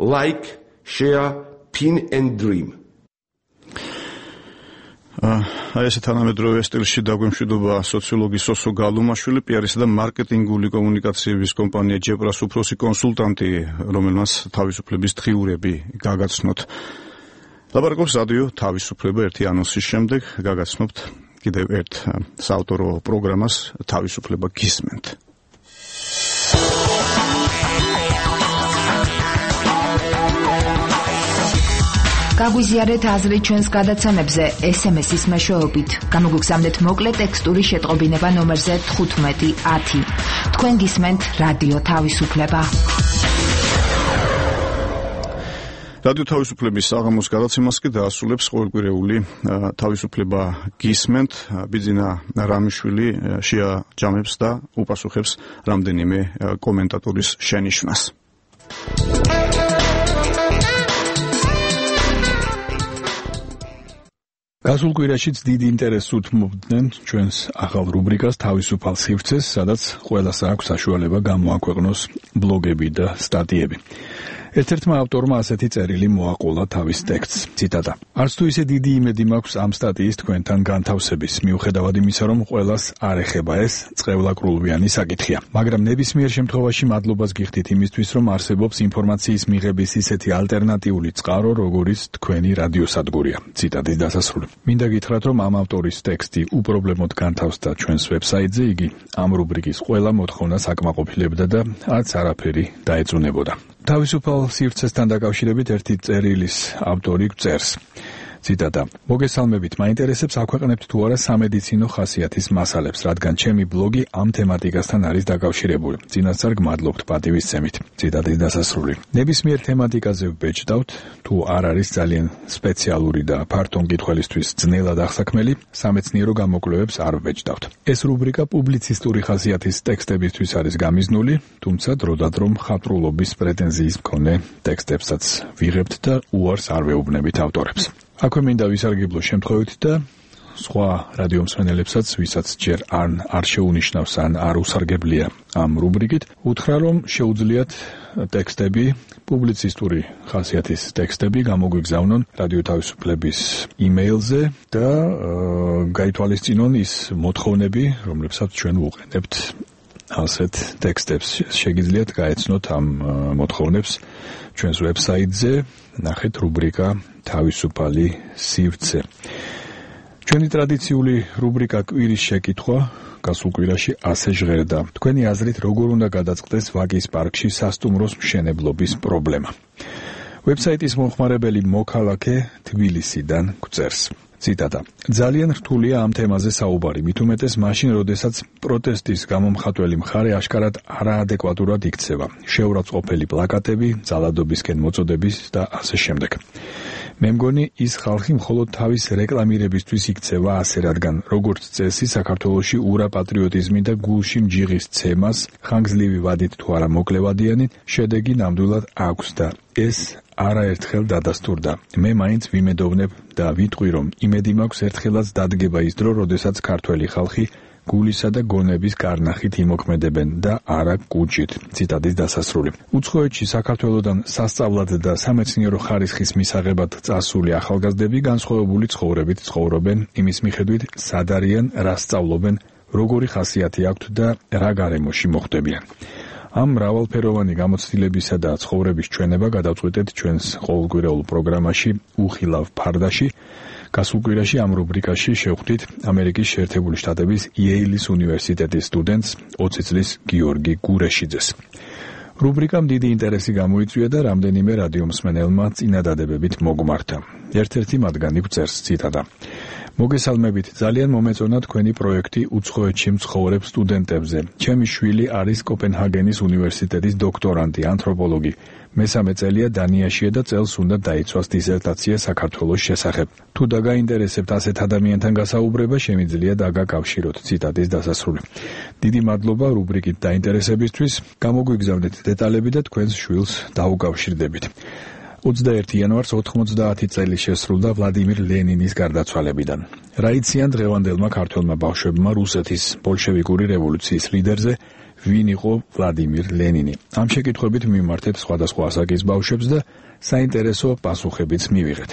Like, share, pin and dream. აი ეს თანამედროვე სტილში დაგვემშვიდობა სოციოლოგი სოსო გალუმაშვილი, პი არისა და მარკეტინგული კომუნიკაციების კომპანია ჯეპრას უფროსი კონსულტანტი, რომელმაც თავისუფლების დღიურები გაგაცნოთ. ლაბარაკობს რადიო თავისუფლება ერთი ანონსის შემდეგ გაგაცნობთ კიდევ ერთ საავტორო პროგრამას თავისუფლება გისმენთ. გაგვიზიარეთ აზრი ჩვენს გადაცემებზე ეს ემ ეს-ის მეშვეობით. გამოგგზავნეთ მოკლე ტექსტური შეტყობინება ნომერზე თხუთმეტი ათი. თქვენ გისმენთ რადიო თავისუფლება. რადიო თავისუფლების საღამოს გადაცემას კი დაასრულებს ყოველკვირეული თავისუფლება გისმენთ. ბიძინა რამიშვილი შეაჯამებს და უპასუხებს რამდენიმე კომენტატორის შენიშვნას. გასულ კვირაშიც დიდი ინტერესს უთმობდნენ ჩვენს ახალ რუბრიკას თავისუფალ სივრცეს, სადაც ყველას აქვს საშუალება გამოაქვეყნოს ბლოგები და სტატიები. ერთ-ერთმა ავტორმა ასეთი წერილი მოაყოლა თავის ტექსტს. ციტატა: არც თუ ისე დიდი იმედი მაქვს ამ სტატიის თქვენთან განთავსების, მიუხედავად იმისა, რომ ყველას არ ეხება ეს წყევლაკრულვიანი საკითხია. მაგრამ ნებისმიერ შემთხვევაში მადლობას გიხდით იმისთვის, რომ არსებობს ინფორმაციის მიღების ისეთი ალტერნატიული წყარო, როგორიც თქვენი რადიოსადგურია. ციტატის დასასრული. მინდა გითხრათ, რომ ამ ავტორის ტექსტი უპრობლემოდ განთავსდა ჩვენს ვებსაიტზე, იგი ამ რუბრიკის ყველა მოთხოვნას აკმაყოფილებდა და არც არაფერი დაეწუნებოდა. თავისუფალ სივრცესთან დაკავშირებით ერთი წერილის ავტორი წერს. ციტატა: მოგესალმებით, მაინტერესებს აქვეყნებთ თუ არა სამედიცინო ხასიათის მასალებს, რადგან ჩემი ბლოგი ამ თემატიკასთან არის დაკავშირებული. წინასწარ გმადლობთ პატივისცემით. ციტატის დასასრული. ნებისმიერ თემატიკაზე ვბეჭდავთ, თუ არ არის ძალიან სპეციალური და ფართო მკითხველისთვის ძნელად აღსაქმელი, სამეცნიერო გამოკვლევებს არ ვბეჭდავთ. ეს რუბრიკა პუბლიცისტური ხასიათის ტექსტებისთვის არის გამიზნული, თუმცა დროდადრო მხატვრულობის პრეტენზიის მქონე ტექსტებსაც ვიღებთ და უარს არ ვეუბნებით ავტორებს. აქვე მინდა ვისარგებლო შემთხვევით და სხვა რადიო მსმენელებსაც, ვისაც ჯერ არ არ შეუნიშნავს ან არ უსარგებლია ამ რუბრიკით, უთხრა, რომ შეუძლიათ ტექსტები, პუბლიცისტური ხასიათის ტექსტები გამოგვიგზავნონ რადიო თავისუფლების იმეილზე და გაითვალისწინონ ის მოთხოვნები, რომლებსაც ჩვენ ვუყენებთ ასეთ ტექსტებს. შეგიძლიათ გაეცნოთ ამ მოთხოვნებს ჩვენს ვებსაიტზე, ნახეთ რუბრიკა თავისუფალი სივრცე. ჩვენი ტრადიციული რუბრიკა კვირის შეკითხვა გასულ კვირაში ასე ჟღერდა: თქვენი აზრით როგორ უნდა გადაწყდეს ვაკის პარკში სასტუმროს მშენებლობის პრობლემა? ვებსაიტის მომხმარებელი მოქალაქე თბილისიდან გვწერს. ციტატა: ძალიან რთულია ამ თემაზე საუბარი, მით უმეტეს მაშინ, როდესაც პროტესტის გამომხატველი მხარე აშკარად არაადეკვატურად იქცევა. შეურაცხყოფელი პლაკატები, ძალადობისკენ მოწოდების და ასე შემდეგ. მე მგონი ის ხალხი მხოლოდ თავის რეკლამირებისთვის იქცევა ასე, რადგან როგორც წესი საქართველოში ურა პატრიოტიზმი და გულში მჯიღის ცემას, ხანგრძლივი ვადით თუ არა მოკლევადიანი, შედეგი ნამდვილად აქვს და ეს არაერთხელ დადასტურდა. მე მაინც ვიმედოვნებ და ვიტყვი, რომ იმედი მაქვს ერთხელაც დადგება ის დრო, როდესაც ქართველი ხალხი გულისა და გონების გარნახით იმოქმედებენ და არა კუჭით. ციტატის დასასრული. უცხოეთში საქართველოდან სასწავლად და სამეცნიერო ხარისხის მისაღებად წასული ახალგაზრდები განსხვავებული ცხოვრებით ცხოვრობენ, იმის მიხედვით სად არიან, რა სწავლობენ, როგორი ხასიათი აქვთ და რა გარემოში მოხვდებიან. ამ მრავალფეროვანი გამოცდილებისა და ცხოვრების ჩვენება გადავწყვეტეთ ჩვენს ყოველკვირეულ პროგრამაში უხილავ ფარდაში. გასულ კვირაში ამ რუბრიკაში შევხვდით ამერიკის შეერთებული შტატების იეილის უნივერსიტეტის სტუდენტს ოცი წლის გიორგი გურეშიძეს. რუბრიკამ დიდი ინტერესი გამოიწვია და რამდენიმე რადიო მსმენელმა წინადადებებით მოგმართა. ერთ-ერთი მათგანი გვწერს, ციტატა: მოგესალმებით, ძალიან მომეწონა თქვენი პროექტი უცხოეთში მცხოვრებ სტუდენტებზე. ჩემი შვილი არის კოპენჰაგენის უნივერსიტეტის დოქტორანტი, ანთროპოლოგი. მესამე წელია დანიაშია და წელს უნდა დაიცვას დისერტაცია საქართველოს შესახებ. თუ დაგაინტერესებთ ასეთ ადამიანთან გასაუბრება, შემიძლია დაგაკავშიროთ. ციტატის დასასრული. დიდი მადლობა რუბრიკით დაინტერესებისთვის. გამოგვიგზავნეთ დეტალები და თქვენს შვილს დაუკავშირდებით. ოცდაერთი იანვარს ოთხმოცდაათი წელი შესრულდა ვლადიმირ ლენინის გარდაცვალებიდან. რა იციან დღევანდელმა ქართველმა ბავშვებმა რუსეთის ბოლშევიკური რევოლუციის ლიდერზე, ვინ იყო ვლადიმირ ლენინი? ამ შეკითხვებით მიმართეთ სხვადასხვა ასაკის ბავშვებს და საინტერესო პასუხებიც მივიღეთ.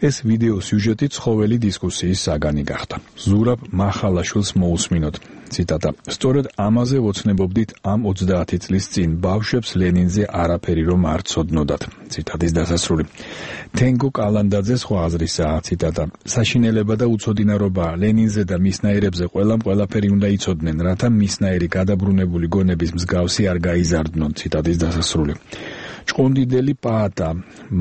ეს ვიდეო სიუჟეტი ცხოველი დისკუსიის საგანი გახდა. ზურაბ მახალაშვილს მოусმინოთ. ციტატა: სწორედ ამაზე ვოცნებობდით ამ ოცდაათი წლის წინ, ბავშვებს ლენინზე არაფერი რომ არ ცოდნოდათ. ციტატის დასასრული. თენგო კალანდაძე სხვა აზრისაა. ციტატა: საშინელება და უცოდინარობა ლენინზე და მისნაირებზე ყველამ ყველაფერი უნდა იცოდნენ, რათა მისნაირი გადაბრუნებული გონების მსგავსი არ გაიზარდნონ. ციტატის დასასრული. ჭყონდიდელი პაატა,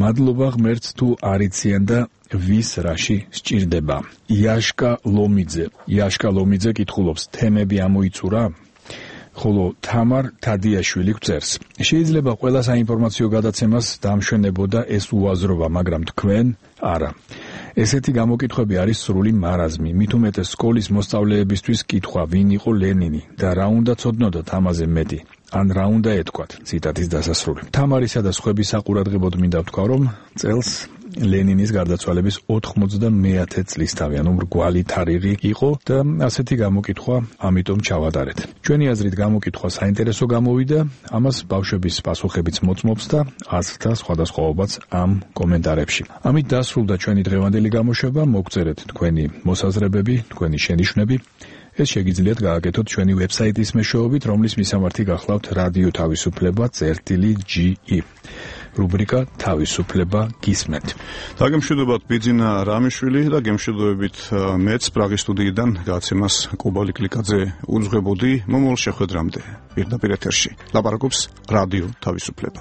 მადლობა ღმერთს თუ არიციან და ვის რაში სჭირდება. იაშკა ლომიძე. იაშკა ლომიძე კითხულობს, თემები ამოიწურა? ხოლო თამარ თადიაშვილი გვწერს. შეიძლება ყველა საინფორმაციო გადაცემას დამშვენებოდა ეს უაზრობა, მაგრამ თქვენ არა. ესეთი გამოკითხვები არის სრული მარაზმი. მით უმეტეს სკოლის მოსწავლეებისთვის კითხვა, ვინ იყო ლენინი და რა უნდა ცოდნოდათ ამაზე მეტი. ან რა უნდა ეთქვათ, ციტატის დასასრული. თამარისა და სხვების საყურადღებოდ მინდა ვთქვა, რომ წელს ლენინის გარდაცვალების ოთხმოცდამეათე წლისთავი, ანუ მრგვალი თარიღი იყო და ასეთი გამოკითხვა ამიტომ ჩავატარეთ. ჩვენი აზრით გამოკითხვა საინტერესო გამოვიდა, ამას ბავშვების პასუხებიც მოწმობს და აზრთა სხვადასხვაობაც ამ კომენტარებში. ამით დასრულდა ჩვენი დღევანდელი გამოშვება, მოგწერეთ თქვენი მოსაზრებები, თქვენი შენიშვნები. ეს შეგიძლიათ გააკეთოთ ჩვენი ვებსაიტის მეშვეობით, რომლის მისამართი გახლავთ რადიო თავისუფლება წერტილი ჯი ი. რუბრიკა თავისუფლება გისმენთ. დაგემშვიდობათ ბიძინა რამიშვილი და გემშვიდობებით მეც პრაღის სტუდიიდან გაცემას კუბალი კლიკაძე უძღვებოდი. მომავალ შეხვედრამდე პირდაპირ ეთერში ლაპარაკობს რადიო თავისუფლება.